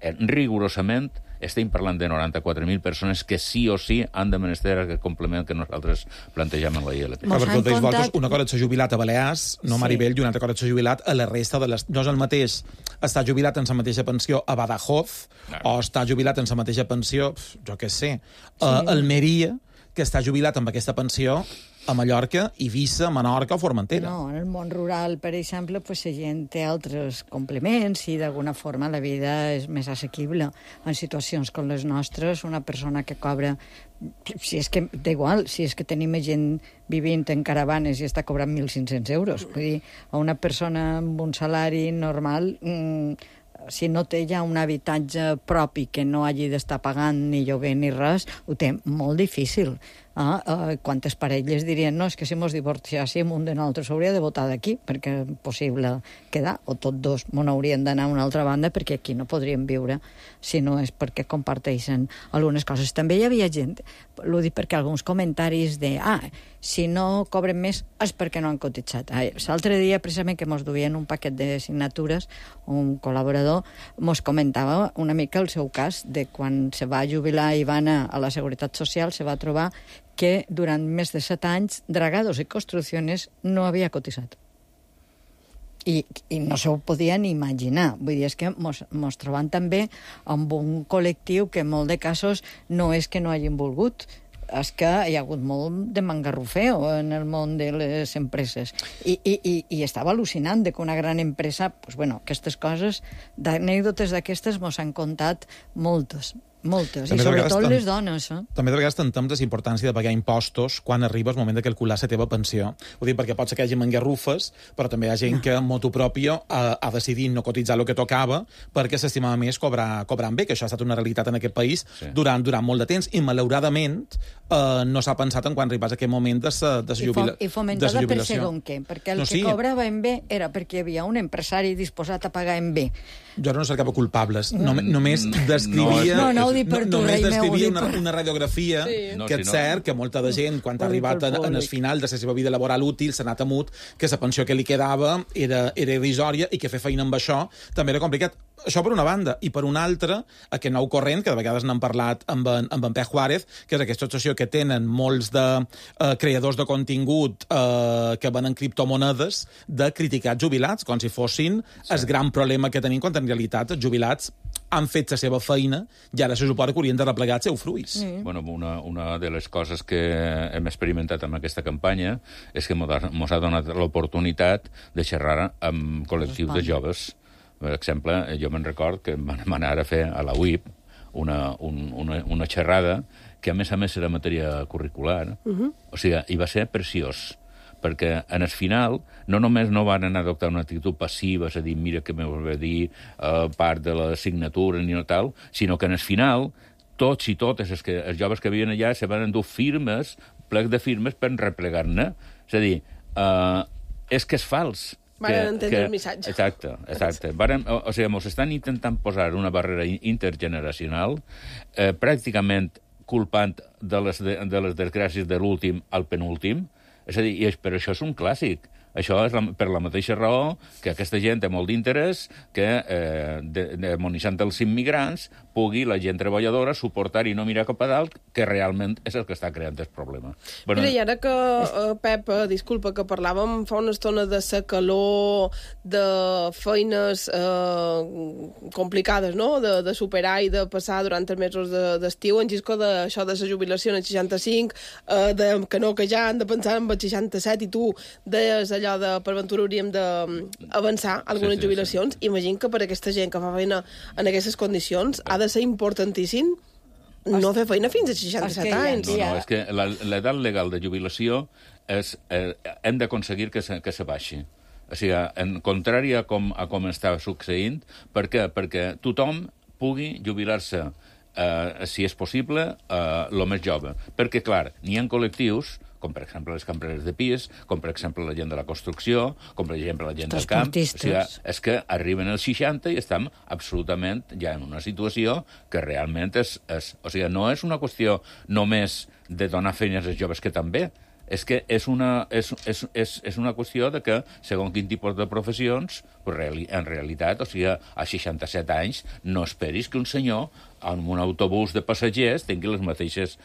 S13: rigorosament estem parlant de 94.000 persones que sí o sí han de menester aquest complement que nosaltres plantegem en la ILP.
S7: Una cosa és ser jubilat a Balears, no Maribel, i una altra cosa és ser jubilat a la resta de les... No és el mateix estar jubilat en la mateixa pensió a Badajoz o estar jubilat en la mateixa pensió, jo què sé, a Almeria, que està jubilat amb aquesta pensió a Mallorca, Eivissa, Menorca o Formentera.
S14: No, en el món rural, per exemple, pues, la gent té altres complements i d'alguna forma la vida és més assequible. En situacions com les nostres, una persona que cobra... Si és que, d'igual, si és que tenim gent vivint en caravanes i està cobrant 1.500 euros. Vull dir, a una persona amb un salari normal... si no té ja un habitatge propi que no hagi d'estar pagant ni lloguer ni res, ho té molt difícil. Quantes parelles dirien no, és que si mos divorciàssim un de nosaltres hauria de votar d'aquí, perquè és possible quedar, o tots dos mos haurien d'anar a una altra banda perquè aquí no podríem viure si no és perquè comparteixen algunes coses. També hi havia gent, l'ho dic perquè alguns comentaris de si no cobren més és perquè no han cotitzat. L'altre dia, precisament, que mos duien un paquet de signatures, un col·laborador mos comentava una mica el seu cas de quan se va jubilar i va anar a la Seguretat Social, se va trobar que durant més de 7 anys Dragados i Construcciones no havia cotitzat. I no s'ho podien imaginar. Vull dir, és que mos trobem també amb un col·lectiu que en molt de casos no és que no hagin volgut, és que hi ha hagut molt de mangarrufeo en el món de les empreses. I estava al·lucinant de que una gran empresa, pues bueno, aquestes coses, d'anècdotes d'aquestes mos han contat moltes. Moltes, i sobretot les dones.
S7: També de vegades tentem la importància de pagar impostos quan arriba el moment de calcular la teva pensió. Ho dic perquè pot ser que hi hagi mangarrufes, però també hi ha gent que, motu propio, ha decidit no cotitzar el que tocava perquè s'estimava més cobrant bé, que això ha estat una realitat en aquest país durant molt de temps, i malauradament no s'ha pensat en quan arribés aquest moment de la jubilació.
S14: I fomentada per segon què? Perquè el que cobrava en bé era perquè hi havia un empresari disposat a pagar en bé.
S7: Jo ara no cercava culpables, només descrivia... Només descrivia una radiografia que és cert que molta de gent, quan ha arribat en el final de la seva vida laboral útil, s'ha anat amut, que la pensió que li quedava era irrisòria i que fer feina amb això també era complicat. Això per una banda. I per una altra, aquest nou corrent, que de vegades n'hem parlat amb en Pep Juárez, que és aquesta associació que tenen molts de creadors de contingut que venen criptomonedes, de criticar jubilats, com si fossin el gran problema que tenim, quan en realitat els jubilats han fet la seva feina i ara se suposa que haurien de replegar els seus fruits.
S13: Bueno, una de les coses que hem experimentat amb aquesta campanya és que mos ha donat l'oportunitat de xerrar amb col·lectius de joves. Per exemple, jo me'n record que vam anar a fer a la UIP una xerrada que, a més era matèria curricular. O sigui, i va ser preciós, perquè en el final no només no van anar a adoptar una actitud passiva, és a dir, mira que m'ho va dir part de la signatura ni no tal, sinó que en el final tots i totes els joves que viuen allà se van endur firmes, plec de firmes per replegar-ne. És a dir, és que és fals.
S6: Van entendre el missatge.
S13: Exacte. O sigui, ens estan intentant posar una barrera intergeneracional, pràcticament culpant de les desgràcies de l'últim al penúltim. És a dir, però això és un clàssic. Això és per la mateixa raó que aquesta gent té molt d'interès que, demonitzant els immigrants, pugui la gent treballadora suportar i no mirar cap a dalt, que realment és el que està creant el problema.
S6: Mira, i ara que, Pep, disculpa, que parlàvem fa una estona de la calor, de feines complicades, no?, de superar i de passar durant els mesos d'estiu, en Gisco, d'això de la jubilació en el 65, que no, que ja han de pensar en el 67, i tu deies allò de per ventura hauríem d'avançar algunes jubilacions. Imagino que per aquesta gent que fa feina en aquestes condicions ha de ser importantíssim no fer feina fins als 67 anys.
S13: No, és que l'edat legal de jubilació hem d'aconseguir que se baixi. O sigui, en contrari a com està succeint, per què? Perquè tothom pugui jubilar-se, si és possible, el més jove. Perquè, clar, n'hi ha col·lectius, com per exemple les cambreres de pis, com per exemple la gent de la construcció, com per exemple la gent del camp. O sigui, és que arriben als 60 i estem absolutament ja en una situació que realment o sigui, no és una qüestió només de donar feines als joves, que també, és que és una qüestió de que, segons quin tipus de professions, en realitat, o sigui, a 67 anys, no esperis que un senyor en un autobús de passatgers tingui les mateixes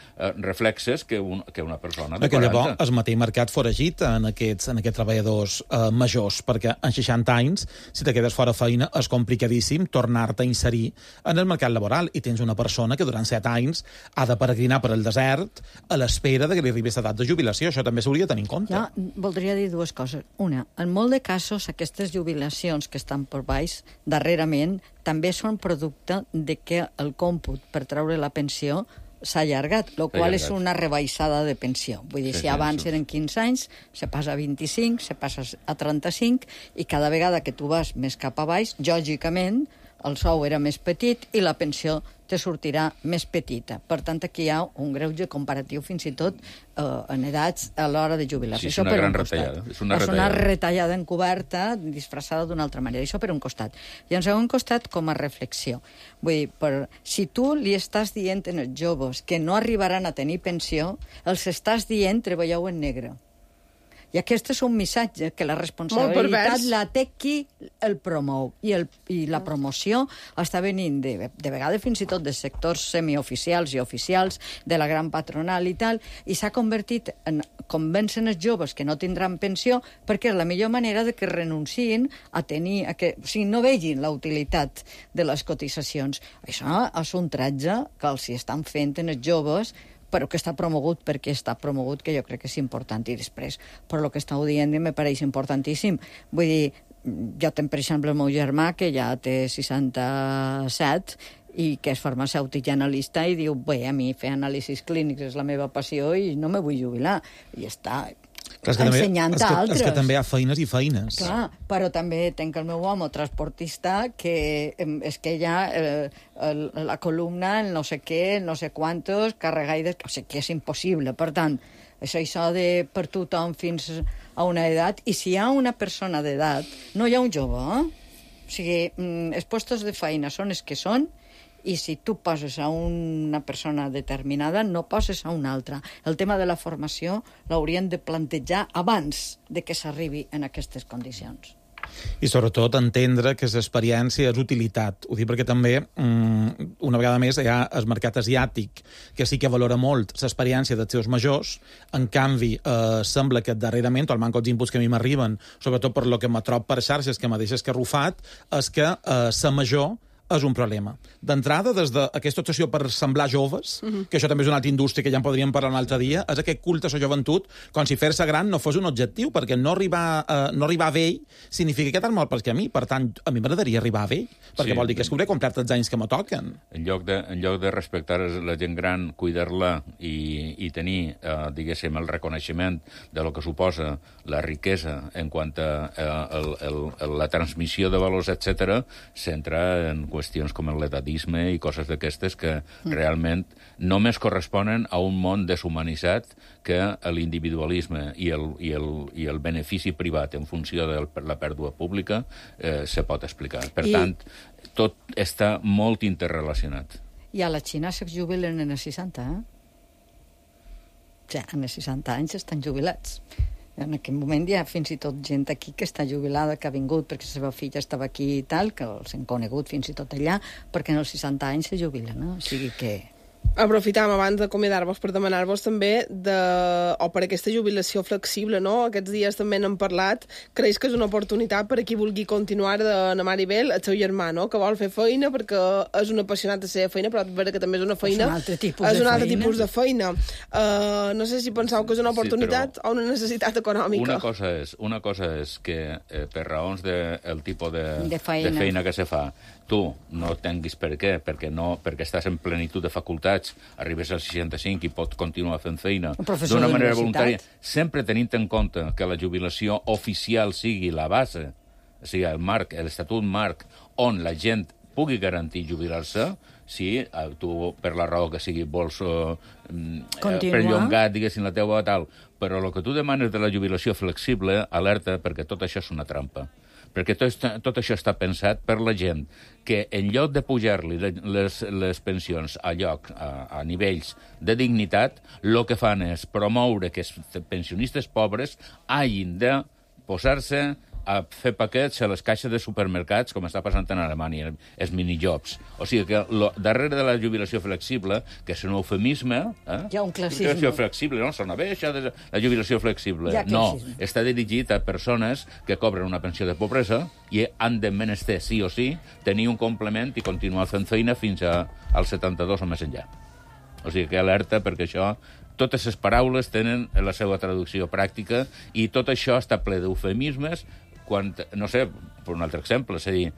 S13: reflexes que una persona de 40.
S7: Perquè llavors es mateix mercat foragit en aquests treballadors majors, perquè en 60 anys, si te quedes fora feina, és complicadíssim tornar-te a inserir en el mercat laboral, i tens una persona que durant 7 anys ha de peregrinar per el desert a l'espera que li arribés l'edat de jubilació. Això també s'hauria de tenir en compte.
S14: Jo voldria dir dues coses. Una, en molt de casos, aquestes jubilacions que estan per baix, darrerament, també són producte de que el còmput per treure la pensió s'ha allargat, el qual és una rebaixada de pensió. Vull dir, si abans eren 15 anys, se passa a 25, se passa a 35, i cada vegada que tu vas més cap a baix, lògicament, el sou era més petit i la pensió te sortirà més petita. Per tant, aquí hi ha un greuge comparatiu fins i tot en edats a l'hora de jubilar-se.
S13: Sí, és una gran retallada.
S14: És una retallada encoberta, disfressada d'una altra manera. Això per un costat. I en segon costat, com a reflexió. Vull dir, si tu li estàs dient als joves que no arribaran a tenir pensió, els estàs dient treballeu en negre. I aquest és un missatge que la responsabilitat la té qui el promou. I la promoció està venint de vegades fins i tot de sectors semioficials i oficials, de la gran patronal i tal, i s'ha convertit en convencen els joves que no tindran pensió perquè és la millor manera de que renunciïn a tenir... o sigui, no vegin la utilitat de les cotitzacions. Això és un tratge que els estan fent els joves, però que està promogut perquè està promogut, que jo crec que és important. I després, per lo que estàu dient, me pareix importantíssim. Vull dir, jo tenc, per exemple, el meu germà, que ja té 67, i que és farmacèutic i analista, i diu, bé, a mi fer anàlisis clínics és la meva passió i no me vull jubilar. I està ensenyant a altres.
S7: És que també hi ha feines i feines.
S14: Clar, però també tenc el meu home transportista, que és que ja la columna, el no sé què, el no sé quantos, carregar i... O sigui, que és impossible. Per tant, és això de per tothom fins a una edat, i si hi ha una persona d'edat, no hi ha un jove, O sigui, els puestos de feina són els que són, i si tu poses a una persona determinada, no poses a una altra. El tema de la formació l'haurien de plantejar abans de que s'arribi en aquestes condicions.
S7: I sobretot entendre que l'experiència és utilitat. Ho dic perquè també, una vegada més, hi ha el mercat asiàtic, que sí que valora molt l'experiència dels seus majors. En canvi, sembla que darrerament, el manco els inputs que a mi m'arriben, sobretot per lo que me trob per xarxes, que me deixes que arrufat, és que ser major és un problema. D'entrada, des d'aquesta obsessió per semblar joves, que això també és una altra indústria que ja en podríem parlar un altre dia, és aquest culte a la joventut, com si fer-se gran no fos un objectiu, perquè no arribar a vell significa que tan mal perquè a mi. Per tant, a mi m'agradaria arribar a vell, perquè vol dir que hauré complert els anys que me toquen.
S13: En lloc de respectar la gent gran, cuidar-la i tenir, diguéssim, el reconeixement de lo que suposa la riquesa en quant a la transmissió de valors, etc., s'entra en qüestions com l'edatisme i coses d'aquestes que realment només corresponen a un món deshumanitzat que l'individualisme i el benefici privat en funció de la pèrdua pública se pot explicar. Per tant, tot està molt interrelacionat.
S14: I a la Xina se jubilen en els 60, O sigui, en els 60 anys estan jubilats. En aquell moment hi ha fins i tot gent aquí que està jubilada, que ha vingut perquè la seva filla estava aquí i tal, que els han conegut fins i tot allà, perquè en els 60 anys se jubilen, O sigui que...
S6: Aprofitam abans d'acomiadar-vos per demanar-vos també o per aquesta jubilació flexible, no? Aquests dies també n'hem parlat. Creus que és una oportunitat per a qui vulgui continuar de Maribel, el seu germà, no? Que vol fer feina perquè és un apassionat de la feina, però que també és una feina...
S14: És un altre tipus de feina.
S6: No sé si penseu que és una oportunitat o una necessitat econòmica.
S13: Una cosa és que per raons del tipus de feina que se fa, tu no tinguis per què, perquè estàs en plenitud de facultats, arribes als 65 i pots continuar fent feina d'una manera voluntària, sempre tenint en compte que la jubilació oficial sigui la base, o sigui, el marc, l'estatut marc, on la gent pugui garantir jubilar-se, si tu, per la raó que sigui, vols perllongar, diguéssim, la teua tal, però el que tu demanes de la jubilació flexible, alerta, perquè tot això és una trampa. Perquè tot això està pensat per la gent que en lloc de pujar-li les pensions a nivells de dignitat, el que fan és promoure que els pensionistes pobres hagin de posar-se a fer paquets a les caixes de supermercats, com està passant en Alemanya, els minijobs. O sigui que darrere de la jubilació flexible, que és un eufemisme...
S14: Hi ha un classisme.
S13: Jubilació flexible, no? Sona bé, això de la jubilació flexible. No, està dirigit a persones que cobren una pensió de pobresa i han de menester, sí o sí, tenir un complement i continuar fent feina fins als 72 o més enllà. O sigui que alerta, perquè això... Totes les paraules tenen la seva traducció pràctica i tot això està ple d'eufemismes quan, no sé, per un altre exemple, és a dir,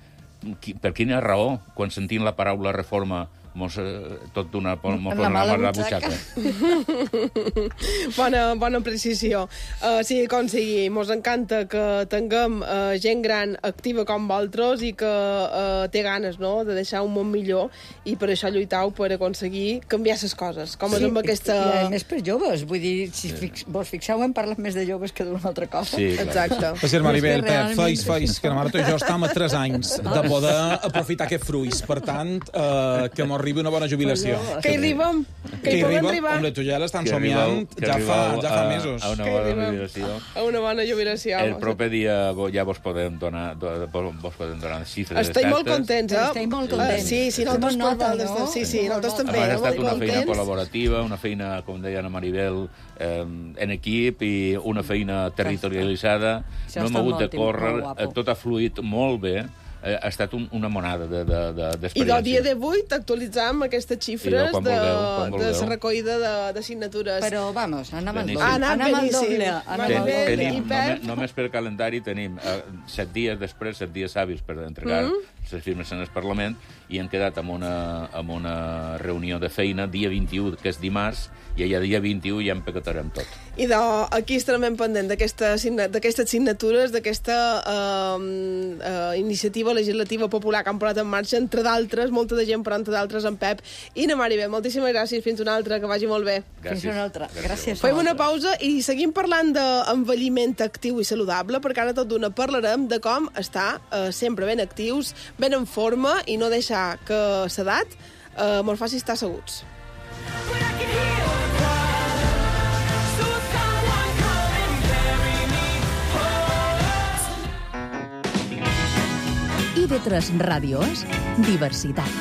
S13: per quina raó, quan sentim la paraula reforma, tot d'una la butxaca.
S6: Bona precisió. Sí, com sigui, mos encanta que tinguem gent gran activa com vosaltres i que té ganes, no?, de deixar un món millor, i per això lluitau per aconseguir canviar les coses, com és amb aquesta...
S14: I a més per joves, vull dir, si vos fixeu, hem parlat més de joves que d'una altra cosa.
S7: Sí, exacte. Per ser Maribel, Pep, feis, que la Marta i jo estem a 3 anys de poder aprofitar aquests fruits. Per tant, que m'arribi una bona jubilació.
S6: Que hi arribem. Que hi podem arribar.
S7: Home, tu ja l'estan somiant ja fa mesos.
S13: A una bona jubilació.
S6: A una bona jubilació.
S13: El proper dia ja vos podem donar xifres.
S6: Estem molt contents,
S14: Estem molt contents.
S6: Sí, nosaltres també.
S13: Ha estat una feina col·laborativa, una feina, com deia Ana Maribel, en equip i una feina territorialitzada. No hem hagut de córrer, tot ha fluït molt bé. Ha estat una monada d'experiència.
S6: I del dia d'avui t'actualitzam aquestes xifres de la recollida de signatures.
S14: Però, vamos, anem al doble.
S13: Només per calendari tenim 7 dies després, 7 dies hàbils per entregar les firmes en el Parlament, i hem quedat amb una reunió de feina dia 21, que és dimarts, i allà dia 21 ja empaquetarem tot.
S6: I aquí estarem ben pendent d'aquestes signatures, d'aquesta iniciativa legislativa popular que han posat en marxa, entre d'altres, molta de gent, però entre d'altres en Pep i na Maribel. Moltíssimes gràcies, fins una altra, que vagi molt bé.
S14: Fins una altra. Gràcies.
S6: Fem una pausa i seguim parlant d'envelliment actiu i saludable, perquè ara tot d'una parlarem de com estar sempre ben actius, ben en forma, i no deixar que l'edat mos faci estar asseguts.
S15: IB3 Ràdio és diversitat.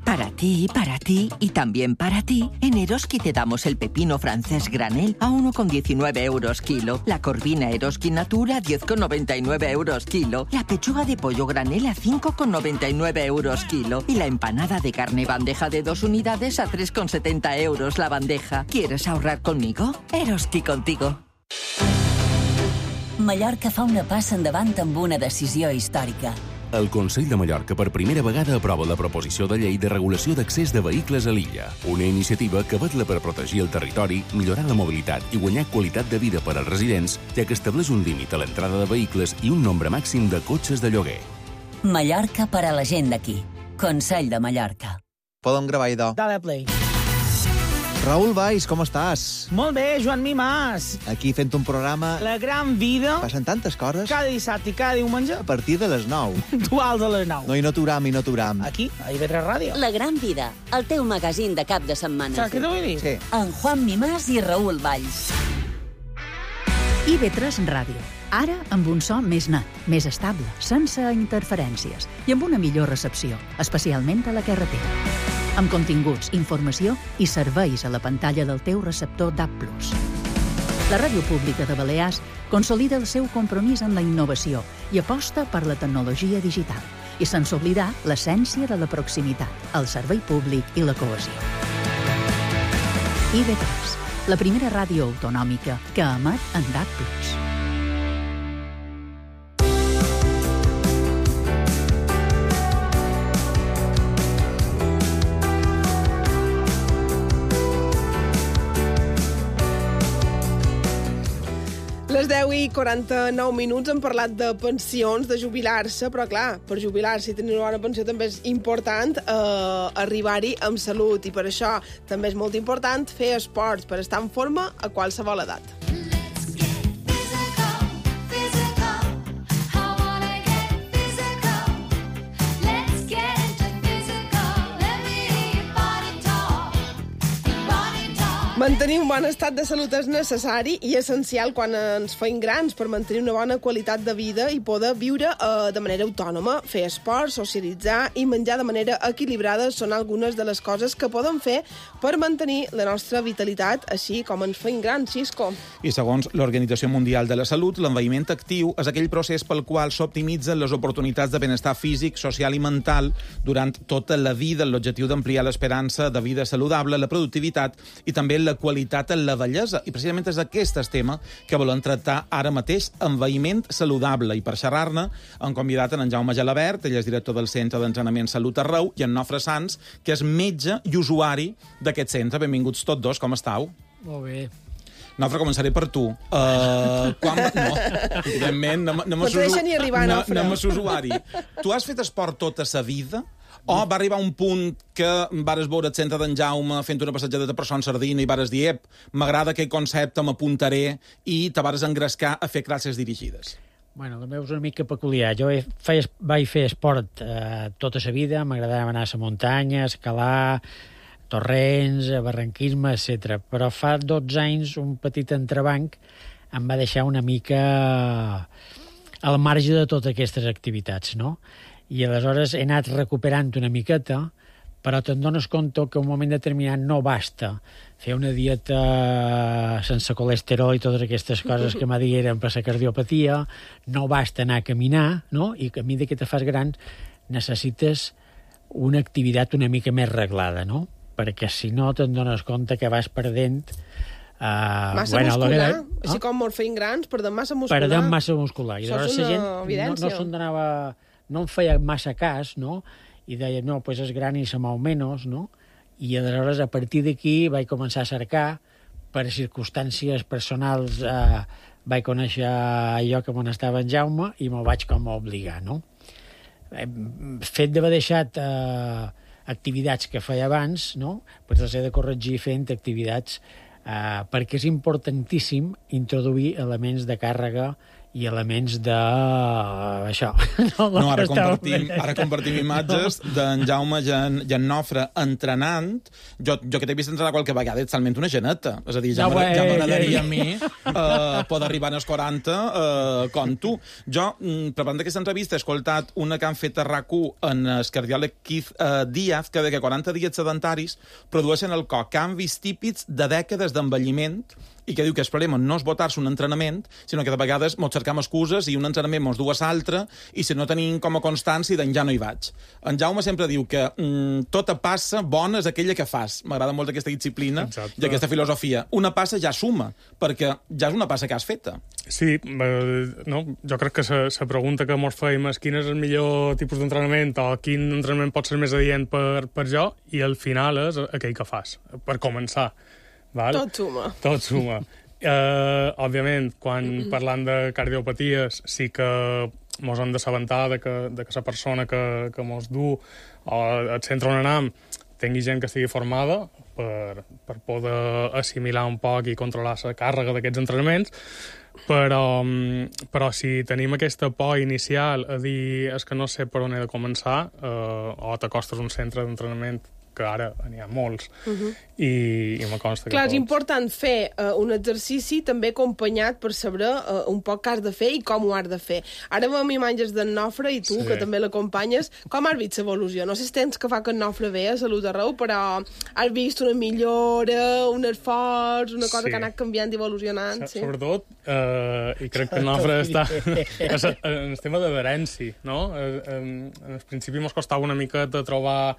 S16: Para ti y también para ti, en Eroski te damos el pepino francés granel a 1,19 euros kilo, la corvina Eroski Natura a 10,99 euros kilo, la pechuga de pollo granel a 5,99 euros kilo y la empanada de carne bandeja de 2 unidades a 3,70 euros la bandeja. ¿Quieres ahorrar conmigo? Eroski contigo.
S4: Mallorca fa una passa endavant amb una decisió històrica.
S17: El Consell de Mallorca per primera vegada aprova la proposició de llei de regulació d'accés de vehicles a l'illa, una iniciativa que vetla per protegir el territori, millorar la mobilitat i guanyar qualitat de vida per als residents, ja que estableix un límit a l'entrada de vehicles i un nombre màxim de cotxes de lloguer.
S4: Mallorca per a la gent d'aquí. Consell de Mallorca.
S18: Podem gravar, idò.
S19: Dale play.
S18: Raül Valls, com estàs?
S19: Molt bé, Joan Mimàs.
S18: Aquí fent un programa...
S19: La gran vida.
S18: Passen tantes coses.
S19: Cada dissabte i cada diumenge.
S18: A partir de les 9.
S19: Duals a les 9.
S18: No, i no t'uram.
S19: Aquí, a IB3 Ràdio.
S4: La gran vida, el teu magazín de cap de setmana.
S19: Saps què t'ho vull dir?
S18: Sí.
S4: En Juan Mimàs i Raül Valls.
S15: IB3 Ràdio. Ara amb un so més net, més estable, sense interferències i amb una millor recepció, especialment a la carretera. Amb continguts, informació i serveis a la pantalla del teu receptor DAB+. La Ràdio Pública de Balears consolida el seu compromís amb la innovació i aposta per la tecnologia digital, i sense oblidar l'essència de la proximitat, el servei públic i la cohesió. IB3, la primera ràdio autonòmica que emet en DAB+.
S6: Les 10:49 hem parlat de pensions, de jubilar-se, però clar, per jubilar-se i tenir una bona pensió també és important arribar-hi amb salut, i per això també és molt important fer esports per estar en forma a qualsevol edat. Mantenir un bon estat de salut és necessari i essencial quan ens feim grans per mantenir una bona qualitat de vida i poder viure de manera autònoma. Fer esport, socialitzar i menjar de manera equilibrada són algunes de les coses que podem fer per mantenir la nostra vitalitat, així com ens feim grans, Xisco.
S7: I segons l'Organització Mundial de la Salut, l'envelliment actiu és aquell procés pel qual s'optimitzen les oportunitats de benestar físic, social i mental durant tota la vida, amb l'objectiu d'ampliar l'esperança de vida saludable, la productivitat i també la qualitat en la vellesa. I precisament és aquest el tema que volem tractar ara mateix, envelliment saludable. I per xerrar-ne hem convidat en Jaume Gelabert, ell és director del Centre d'Entrenament Salut Arreu, i en Nofre Sans, que és metge i usuari d'aquest centre. Benvinguts tots dos, com estàu?
S12: Molt bé.
S7: Nofre, començaré per tu. Evidentment,
S6: no t'ho deixa ni arribar, Nofre.
S7: Anem a usuari. Tu has fet esport tota sa vida? O va arribar un punt que vares veure el centre d'en Jaume fent una passejada per Son Sardina i vares dir, m'agrada aquest concepte, m'apuntaré, i te vares engrescar a fer classes dirigides?
S12: Bueno, la meva és una mica peculiar. Jo vaig fer esport tota la vida, m'agradava anar a la muntanya, escalar, torrents, barranquisme, etc. Però fa 12 anys un petit entrebanc em va deixar una mica al marge de totes aquestes activitats, no? I aleshores he anat recuperant una miqueta, però te'n dones compte que un moment determinat no basta fer una dieta sense colesterol i totes aquestes coses que m'ha digueren per la cardiopatia, no basta anar a caminar, no? I que a mesura que te fas gran necessites una activitat una mica més reglada, no? Perquè si no te'n dones compte que vas perdent...
S6: massa muscular, així com ens feim grans, perdem massa muscular.
S12: Perdem massa muscular. I
S6: això és una evidència.
S12: No em feia massa cas, no? I deia, no, doncs és gran i se mou menys, no? I aleshores, a partir d'aquí, vaig començar a cercar, per circumstàncies personals, vaig conèixer allò que me n'estava en Jaume i me'l vaig com a obligar, no? Fet d'haver deixat activitats que feia abans, no? Doncs les he de corregir fent activitats perquè és importantíssim introduir elements de càrrega i elements de... això.
S7: No, ara compartim imatges d'en Jaume i en Nofre entrenant. Jo que t'he vist entrenar qualque vegada, ets talment una geneta. És a dir, ja m'agradaria a mi poder arribar als 40 com tu. Jo, preparant aquesta entrevista, he escoltat una que han fet a RAC1 en el cardiòleg Keith Díaz, que de que 40 dies sedentaris produeixen al cos canvis típics de dècades d'envelliment i que diu que el problema no és botar-se un entrenament, sinó que de vegades mos cercam excuses i un entrenament mos du a l'altre i si no tenim com a constància, doncs ja no hi vaig. En Jaume sempre diu que tota passa bona és aquella que fas. M'agrada molt aquesta disciplina i aquesta filosofia. Una passa ja suma, perquè ja és una passa que has feta.
S20: Sí, no? Jo crec que la pregunta que mos feim és quin és el millor tipus d'entrenament o quin entrenament pot ser més adient per jo, i al final és aquell que fas, per començar. Val? Tot suma. Òbviament, quan parlant de cardiopaties, sí que mos hem d'assabentar de que la persona que mos du al centre on anem tingui gent que estigui formada per poder assimilar un poc i controlar la càrrega d'aquests entrenaments, però si tenim aquesta por inicial a dir és que no sé per on he de començar, o t'acostes a un centre d'entrenament que ara n'hi ha molts, i me consta que
S6: Clar, és important fer un exercici també acompanyat per saber un poc què has de fer i com ho has de fer. Ara veiem imatges d'en Nofre i tu, que també l'acompanyes. Com has vist l'evolució? No sé si tens que fa que en Nofre ve a Salut Arreu, però has vist una millora, un esforç, una cosa que ha anat canviant i evolucionant.
S20: Sobretot, i crec que en Nofre està en el tema d'adherència, no? En el principi mos costava una miqueta trobar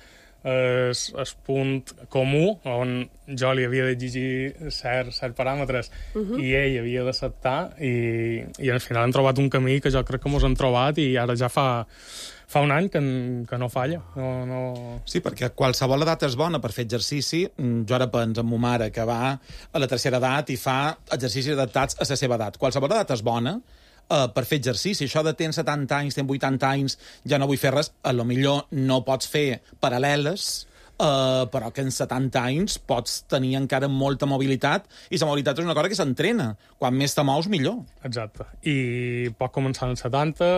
S20: el punt comú on jo li havia d'exigir certs paràmetres i ell havia d'acceptar, i al final hem trobat un camí que jo crec que mos hem trobat i ara ja fa un any que no falla.
S7: Sí, perquè qualsevol edat és bona per fer exercici. Jo ara penso en ma mare, que va a la tercera edat i fa exercicis adaptats a la seva edat. Qualsevol edat és bona per fer exercici. Això de tens 70 anys, tens 80 anys, ja no vull fer res, a lo millor no pots fer paral·leles, però que en 70 anys pots tenir encara molta mobilitat, i la mobilitat és una cosa que s'entrena. Quan més te mous, millor.
S20: Exacte. I pot començar en els 70,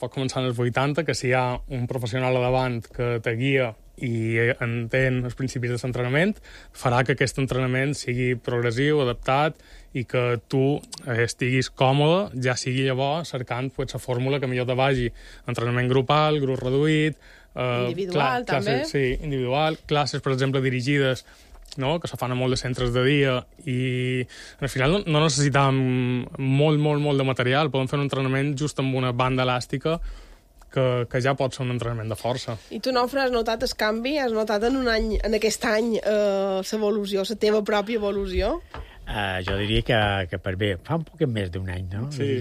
S20: pot començar en els 80, que si hi ha un professional a davant que te guia i entén els principis de l'entrenament, farà que aquest entrenament sigui progressiu, adaptat, i que tu estiguis còmode, ja sigui llavors cercant la fórmula que millor te vagi. Entrenament grupal, grup reduït...
S6: individual, també.
S20: Sí, individual. Classes, per exemple, dirigides, no? Que se fan a molt de centres de dia, i al final no necessitam molt de material. Podem fer un entrenament just amb una banda elàstica que ja pot ser un entrenament de força.
S6: I tu, Nofre, has notat el canvi? Has notat en aquest any l'evolució, la teva pròpia evolució?
S12: Jo diria que per bé, fa un poc més d'un any, no?
S20: Sí.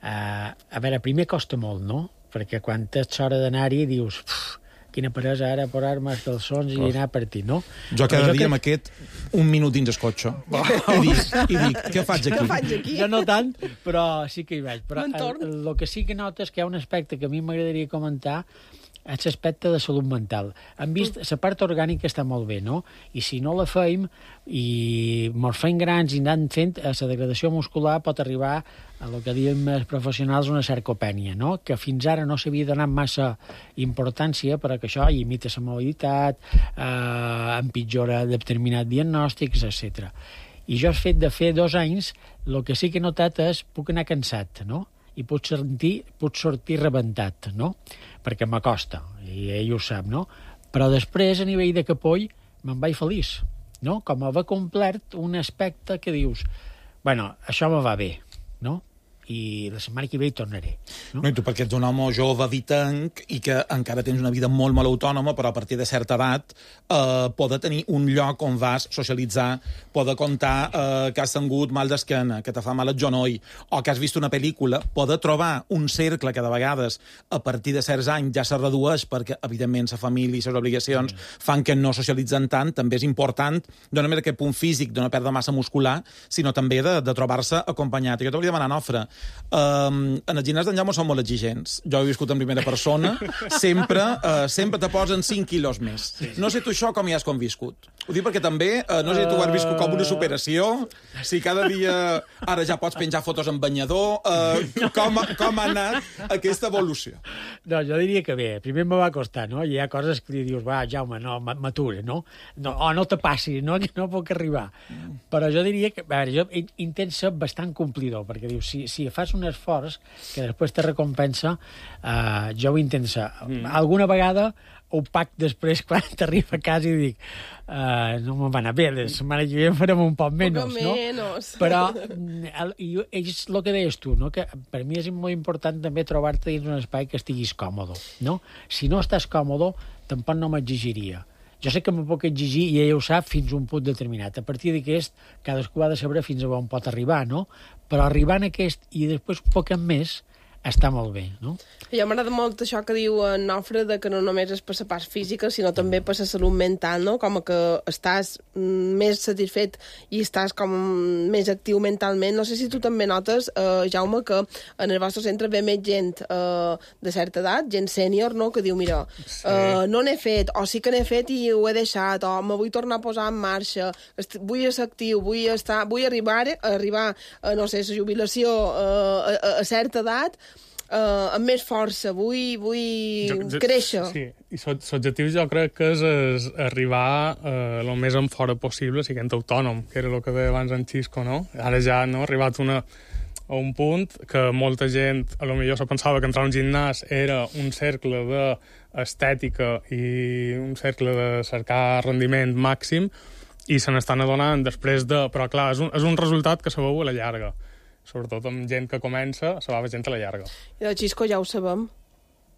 S12: A veure, primer costa molt, no? Perquè quan tens hora d'anar-hi dius quina peresa ara posar-me els calçons i anar per ti, no?
S7: Jo cada dia m'aquest un minut dins el cotxe. I dic, què faig aquí?
S12: Jo no tant, però sí que hi vaig. Però el que sí que notes que hi ha un aspecte que a mi m'agradaria comentar és l'aspecte de salut mental. Hem vist, la part orgànica està molt bé, no? I si no la feim i mos fem grans i anant fent, la degradació muscular pot arribar a el que diem els professionals una sarcopènia, no? Que fins ara no s'havia donat massa importància, però que això imita la mobilitat, empitjora determinats diagnòstics, etc. I jo, el fet de fer 2 anys, el que sí que he notat és puc anar cansat, no? I puc sortir rebentat, no? Perquè m'acosta, i ell ho sap, no? Però després, a nivell de capoll, me'n vaig feliç, no? Com haver complert un aspecte que dius, bueno, això me va bé, no? I la setmana que ve hi tornaré.
S7: No, i tu perquè ets un home jove, vitanc, i que encara tens una vida molt autònoma, però a partir de certa edat poder tenir un lloc on vas socialitzar, poder contar que has tingut mal d'esquena, que te fa mal el genoll, o que has vist una pel·lícula, poder trobar un cercle que de vegades a partir de certs anys ja se redueix perquè, evidentment, la família i les obligacions fan que no socialitzen tant. També és important, no només aquest punt físic de no perdre massa muscular, sinó també de trobar-se acompanyat. I jo t'hauria de demanar, Nofre, en el gimnàs d'en Jaume són molt exigents. Jo he viscut en primera persona. Sempre te posen 5 quilos més. No sé tu això com hi has conviscut. Ho dic perquè també, no sé si tu has viscut com una superació, si cada dia ara ja pots penjar fotos en banyador, com ha anat aquesta evolució?
S12: No, jo diria que bé. Primer me va costar, no? Hi ha coses que dius, va, Jaume, no, m'atura, no? No te passi, no, que no puc arribar. Però jo diria que, a veure, jo intento ser bastant complidor, perquè dius, si sigui, fas un esforç que després te recompensa, jo ho intento ser. Alguna vegada ho pac després quan t'arriba a casa i dic no me'n va anar bé, la setmana que ve farem un poc menys, no? Però és el que deies tu, no? Que per mi és molt important també trobar-te dins un espai que estiguis còmode, no? Si no estàs còmode, tampoc no m'exigiria. Jo sé que me puc exigir, i ella ho sap, fins a un punt determinat. A partir d'aquest, cadascú ha de saber fins a on pot arribar, no? Però arribar en aquest i després un poc més, està molt bé, no?
S6: I a m'agrada molt això que diu en Nofre, de que no només és per la part física, sinó també per la salut mental, no? Com que estàs més satisfet i estàs com més actiu mentalment. No sé si tu també notes, Jaume, que en el vostre centre ve més gent de certa edat, gent sènior, no? Que diu, mira, no n'he fet, o sí que n'he fet i ho he deixat, o me vull tornar a posar en marxa, vull ser actiu, vull arribar no sé, la jubilació a certa edat, amb més força, vull créixer.
S20: Sí, i l'objectiu jo crec que és arribar el més en fora possible siguent autònom, que era el que deia abans en Xisco, no? Ara ja no, ha arribat a un punt que molta gent a lo millor se pensava que entrar a un gimnàs era un cercle d'estètica i un cercle de cercar rendiment màxim, i se n'estan adonant després de... Però clar, és un resultat que se veu a la llarga. Sobretot amb gent que comença, se va veure gent a la llarga.
S6: I el Xisco ja ho sabem.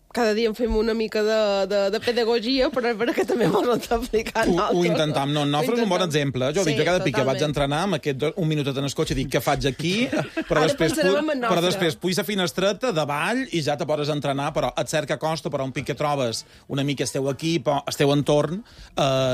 S6: Cada dia en fem una mica de pedagogia, però és vera que també m'ho està aplicant.
S7: Ho intentam. No, Nofre és un bon exemple. Jo dic, jo cada pic que vaig entrenar, amb aquest un minutet en el cotxe, dic, què faig aquí? Però després puix a finestreta, davall, i ja te poses a entrenar, però et cerca costa, però un pic que trobes una mica el teu equip, el teu entorn,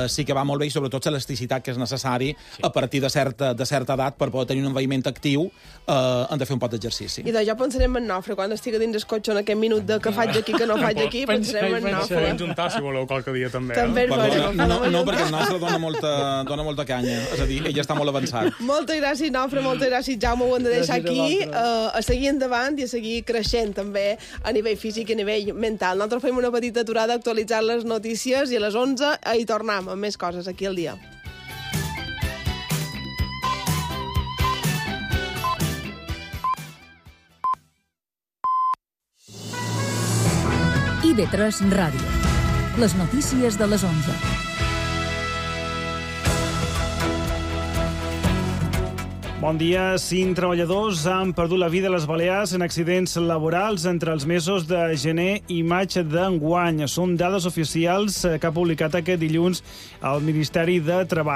S7: sí que va molt bé, i sobretot l'elasticitat que és necessari a partir de certa edat per poder tenir un envelliment actiu, hem de fer un pot d'exercici.
S6: I jo pensarem en Nofre, quan estigui dins el cotxe en aquest minut que faig aquí, que no faig aquí, pensarem en Nofre.
S20: Podem juntar, si voleu, qualque dia també.
S6: No,
S7: perquè el nostre dona molta canya. És a dir, ell està molt avançat.
S6: Moltes gràcies, Nofre, moltes gràcies, Jaume. Ho hem de deixar aquí, a seguir endavant i a seguir creixent també a nivell físic i a nivell mental. Nosaltres fem una petita aturada a actualitzar les notícies i a les 11 hi tornem amb més coses aquí al dia.
S15: IB3 Ràdio. Les notícies de les 11.
S19: Bon dia. 5 treballadors han perdut la vida a les Balears en accidents laborals entre els mesos de gener i maig d'enguany. Són dades oficials que ha publicat aquest dilluns el Ministeri de Treball.